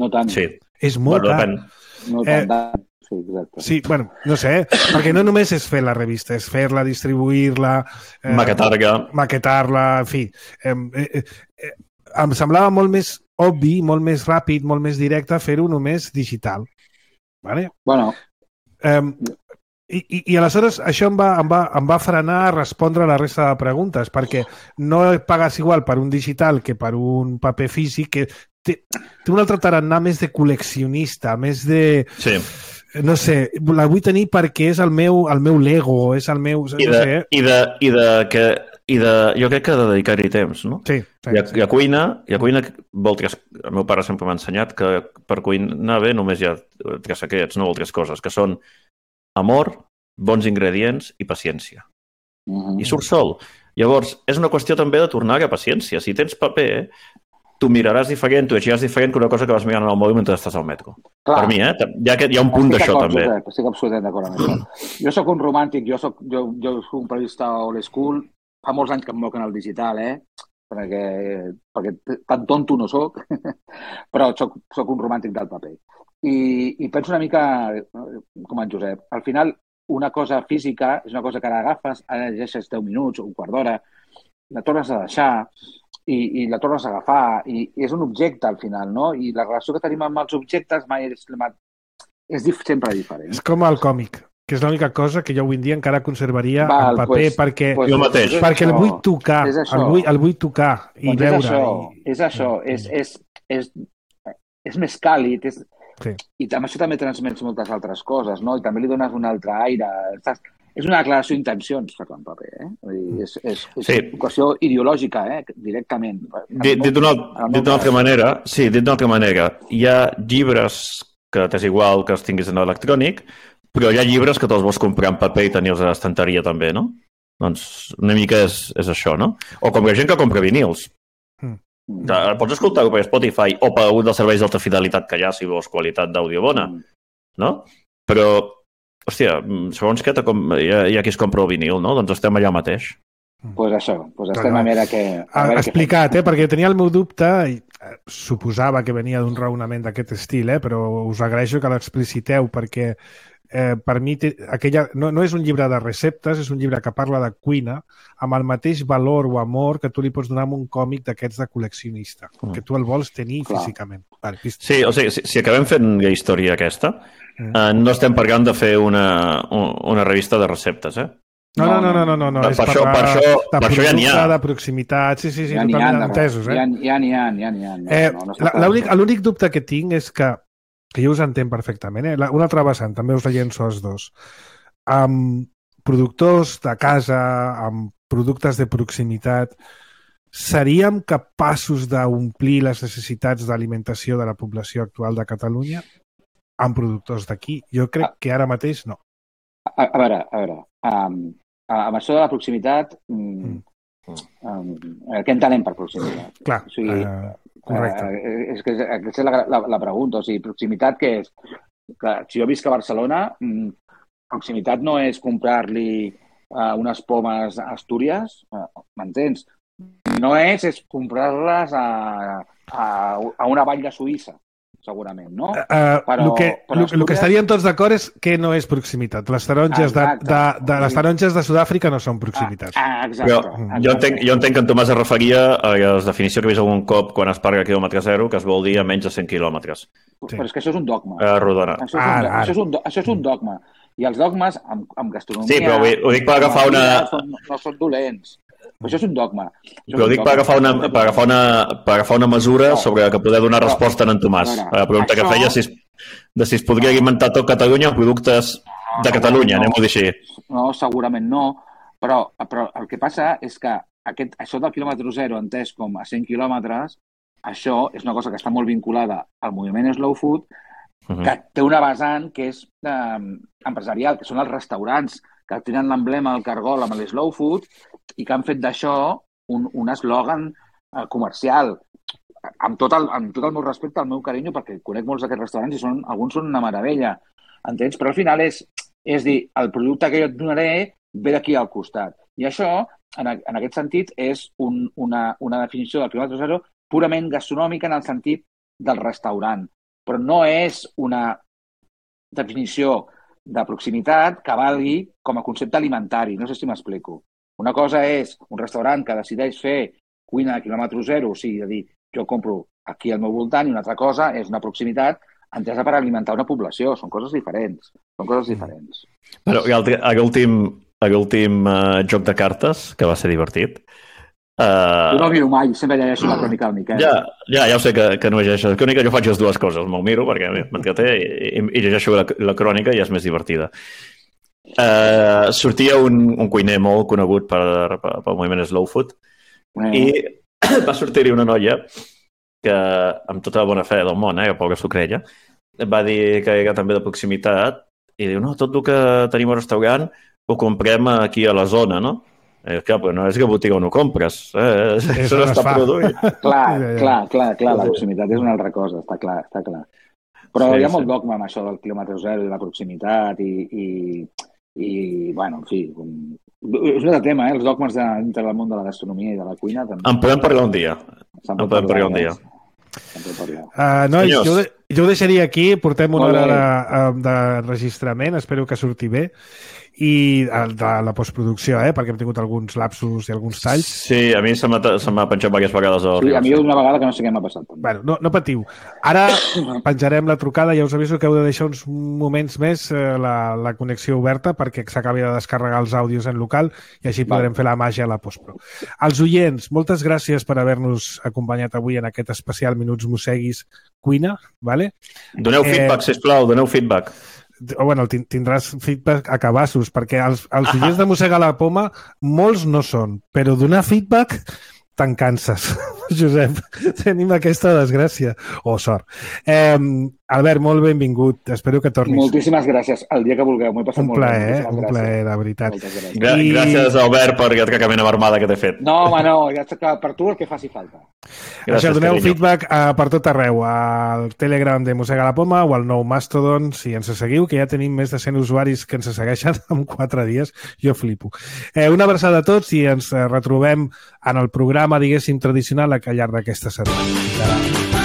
Speaker 3: No tant.
Speaker 2: Sí.
Speaker 1: És molt bueno, car.
Speaker 3: No tant, eh, Sí, exacte.
Speaker 1: Sí, bueno, no sé, perquè no només és fer la revista, és fer-la, distribuir-la...
Speaker 2: Eh, maquetar-la.
Speaker 1: Maquetar-la, en fi. Eh, eh, eh, em semblava molt més obvi, molt més ràpid, molt més directe fer-ho només digital. Vale?
Speaker 3: Bueno.
Speaker 1: Eh, i, i, I aleshores això em va, em, va, em va frenar a respondre a la resta de preguntes, perquè no pagues igual per un digital que per un paper físic, que té, té un altre tarannà més de col·leccionista, més de...
Speaker 2: Sí.
Speaker 1: No sé, la vull tenir perquè és el meu, el meu Lego, és el meu...
Speaker 2: I de,
Speaker 1: no sé.
Speaker 2: i de, i de, que, i de jo crec que de dedicar-hi temps, no?
Speaker 1: Sí. sí,
Speaker 2: I, a,
Speaker 1: sí.
Speaker 2: I a cuina, i a cuina vol tres, el meu pare sempre m'ha ensenyat que per cuinar bé només hi ha tres secrets, no vol tres coses, que són amor, bons ingredients i paciència. Uh-huh. I surt sol. Llavors, és una qüestió també de tornar a paciència. Si tens paper, tu miraràs diferent, tu llegiràs diferent que una cosa que vas mirant al mòbil mentre estàs al metro. Clar. Per mi, eh? Hi ha, hi ha un punt d'això, també.
Speaker 3: Josep, estic absolutament d'acord amb això. Jo sóc un romàntic, jo soc, jo, jo soc un periodista old school, fa molts anys que em moc en el digital, eh? Perquè, perquè tan tonto no soc, però soc, soc un romàntic del paper. I, I penso una mica com en Josep. Al final, una cosa física és una cosa que ara agafes, ara llegeixes deu minuts o un quart d'hora, la tornes a deixar i, i la tornes a agafar i, i és un objecte al final, no? I la relació que tenim amb els objectes mai és, és dif, sempre diferent.
Speaker 1: És com el còmic, que és l'única cosa que jo avui en dia encara conservaria
Speaker 3: Val,
Speaker 1: en paper,
Speaker 3: pues,
Speaker 1: perquè,
Speaker 3: pues,
Speaker 2: jo mateix.
Speaker 1: perquè el vull tocar, el vull, el vull tocar i
Speaker 3: doncs
Speaker 1: veure.
Speaker 3: És això,
Speaker 1: i...
Speaker 3: és, això és, és, és, és més càlid, és...
Speaker 1: Sí.
Speaker 3: I amb això també transmets moltes altres coses, no? I també li dones un altre aire. Estàs... És una declaració d'intencions, fer en paper, eh? Vull dir, és és, és
Speaker 2: sí.
Speaker 3: una qüestió ideològica, eh? Directament.
Speaker 2: Dit, dit d'una altra manera, sí, dit d'una altra manera, hi ha llibres que t'és igual que els tinguis en electrònic, però hi ha llibres que te'ls vols comprar en paper i tenir-los a l'estanteria també, no? Doncs una mica és, és això, no? O com la gent que compra vinils. Mm. Pots escoltar-ho per Spotify o per un dels serveis d'alta fidelitat que hi ha si vols qualitat d'àudio bona, no? Però, hòstia, segons què, com, hi, ha, hi ha qui es compra el vinil, no? Doncs estem allà mateix.
Speaker 3: Doncs pues això, pues estem a veure què...
Speaker 1: A veure explicat, què eh? Perquè tenia el meu dubte, i suposava que venia d'un raonament d'aquest estil, eh? Però us agraeixo que l'expliciteu, perquè eh, per mi té, aquella, no, no és un llibre de receptes, és un llibre que parla de cuina, amb el mateix valor o amor que tu li pots donar amb un còmic d'aquests de col·leccionista, mm. que tu el vols tenir Clar. físicament. Vale,
Speaker 2: sí, o sigui, si, si acabem fent la història aquesta, mm. eh, no estem parlant de fer una, una revista de receptes, eh?
Speaker 1: No, no, no, no, no, no, no.
Speaker 2: Per,
Speaker 1: és
Speaker 2: per, això, per, això,
Speaker 1: de
Speaker 2: per això ja n'hi ha.
Speaker 1: De proximitat, sí, sí, sí,
Speaker 3: ja
Speaker 1: totalment entesos, eh?
Speaker 3: Ja n'hi ha, ja n'hi ha.
Speaker 1: Eh, no, no l'únic dubte que tinc és que, que jo us entenc perfectament, eh? Una altra vessant, també us la llenço els dos. Amb productors de casa, amb productes de proximitat, seríem capaços d'omplir les necessitats d'alimentació de la població actual de Catalunya amb productors d'aquí? Jo crec que ara mateix no.
Speaker 3: A, a veure, a veure, um, amb això de la proximitat, um, um, què entenem per proximitat?
Speaker 1: Clar,
Speaker 3: o sigui,
Speaker 1: uh, correcte.
Speaker 3: Uh, és que aquesta és la, la, la pregunta, o sigui, proximitat què és? Que, si jo visc a Barcelona, um, proximitat no és comprar-li uh, unes pomes a Astúries, uh, m'entens? No és, és comprar-les a, a, a una vall de Suïssa, segurament, no?
Speaker 1: Uh, però, el que, però Astúries... que estaríem tots d'acord és que no és proximitat. Les taronges, de, de, de, les taronges de Sud-àfrica no són proximitat.
Speaker 3: Ah, exacte.
Speaker 2: Però, exacte. Jo, entenc, jo entenc que en Tomàs es referia a la definició que he vist algun cop quan es parla a quilòmetre zero, que es vol dir a menys de cent quilòmetres.
Speaker 3: Sí. Però és que això és un dogma.
Speaker 2: A rodona.
Speaker 3: Això és un, ara, això és un, això és un dogma. I els dogmes, amb, amb gastronomia...
Speaker 2: Sí, però ho dic per agafar una...
Speaker 3: Són, no són dolents. Però això és un dogma. Això
Speaker 2: però ho dic per agafar una, per agafar una, per agafar una mesura no, sobre la que poder donar resposta a en Tomàs. A la pregunta això... que feia si es, de si es podria alimentar tot Catalunya amb productes de Catalunya, no, anem-ho a dir així.
Speaker 3: No, segurament no, però, però el que passa és que aquest, això del quilòmetre zero entès com a cent quilòmetres, això és una cosa que està molt vinculada al moviment slow food, uh-huh. que té una vessant que és eh, empresarial, que són els restaurants que tenen l'emblema del cargol amb l'slow food i que han fet d'això un, un eslògan eh, comercial. Amb tot, el, amb tot el meu respecte, el meu carinyo, perquè conec molts d'aquests restaurants i són, alguns són una meravella, entens? Però al final és, és dir, el producte que jo et donaré ve d'aquí al costat. I això, en, en aquest sentit, és un, una, una definició del quilòmetre zero purament gastronòmica en el sentit del restaurant. Però no és una definició de proximitat que valgui com a concepte alimentari. No sé si m'explico. Una cosa és un restaurant que decideix fer cuina a quilòmetre zero, o sigui, de dir, jo compro aquí al meu voltant, i una altra cosa és una proximitat entesa per alimentar una població. Són coses diferents. Són coses diferents.
Speaker 2: Bueno, l'últim l'últim uh, joc de cartes, que va ser divertit, Uh,
Speaker 3: jo no miro mai, sempre llegeixo la crònica del Miquel.
Speaker 2: Ja, ja, ja ho sé que, que no llegeixo la crònica, jo faig les dues coses, me'l miro perquè m'entreté i, i, i llegeixo la, la crònica i és més divertida. Uh, sortia un, un cuiner molt conegut per, per, pel moviment slow food mm. i va sortir-hi una noia que, amb tota la bona fe del món, eh, pobra sucrella, va dir que era també de proximitat i diu, no, tot el que tenim al restaurant ho comprem aquí a la zona, no? Eh, clar, però no és que a botiga on ho compres. Eh? Això no està produït.
Speaker 3: Clar, clar, clar, clar, la proximitat és una altra cosa, està clar, està clar. Però sí, hi ha molt sí. dogma amb això del quilòmetre zero i la proximitat i, i, i bueno, en fi, com... és un altre tema, eh? Els dogmes de, dintre del món de la gastronomia i de la cuina. També.
Speaker 2: En podem parlar un dia. En podem parlar un dia.
Speaker 1: Uh, nois, jo, jo ho deixaria aquí, portem una hora de, de registrament, espero que surti bé, i de la postproducció, eh? Perquè hem tingut alguns lapsus i alguns talls.
Speaker 2: Sí, a mi se m'ha penjat diverses vegades.
Speaker 3: Sí, a mi una vegada que no sé què m'ha passat.
Speaker 1: Bueno, no, no patiu. Ara penjarem la trucada, ja us aviso que heu de deixar uns moments més eh, la, la connexió oberta perquè s'acabi de descarregar els àudios en local i així podrem vale. fer la màgia a la postpro. Els oients, moltes gràcies per haver-nos acompanyat avui en aquest especial Minuts Mosseguis Cuina. Vale?
Speaker 2: Doneu feedback, eh... sisplau, doneu feedback.
Speaker 1: Bueno, tindràs feedback a cabassos, perquè els, els oients de Mossegar la Poma molts no són, però donar feedback te'n canses, Josep. Tenim aquesta desgràcia. O oh, sort. Eh, Albert, molt benvingut. Espero que tornis.
Speaker 3: Moltíssimes gràcies. El dia que vulgueu. M'ho he passat
Speaker 1: un
Speaker 3: molt
Speaker 1: plaer,
Speaker 3: bé.
Speaker 1: Eh? Un plaer, de veritat.
Speaker 2: Gra I... Gràcies, Albert, per aquesta camina armada que t'he fet.
Speaker 3: No, home, no. Ja està per tu el que faci falta.
Speaker 1: Gràcies, Això, doneu carinyo. feedback uh, per tot arreu. Al Telegram de Mossegar la Poma o al nou Mastodon, si ens seguiu, que ja tenim més de cent usuaris que ens segueixen en quatre dies. Jo flipo. Eh, una abraçada a tots i ens retrobem en el programa, diguéssim, tradicional al llarg d'aquesta setmana.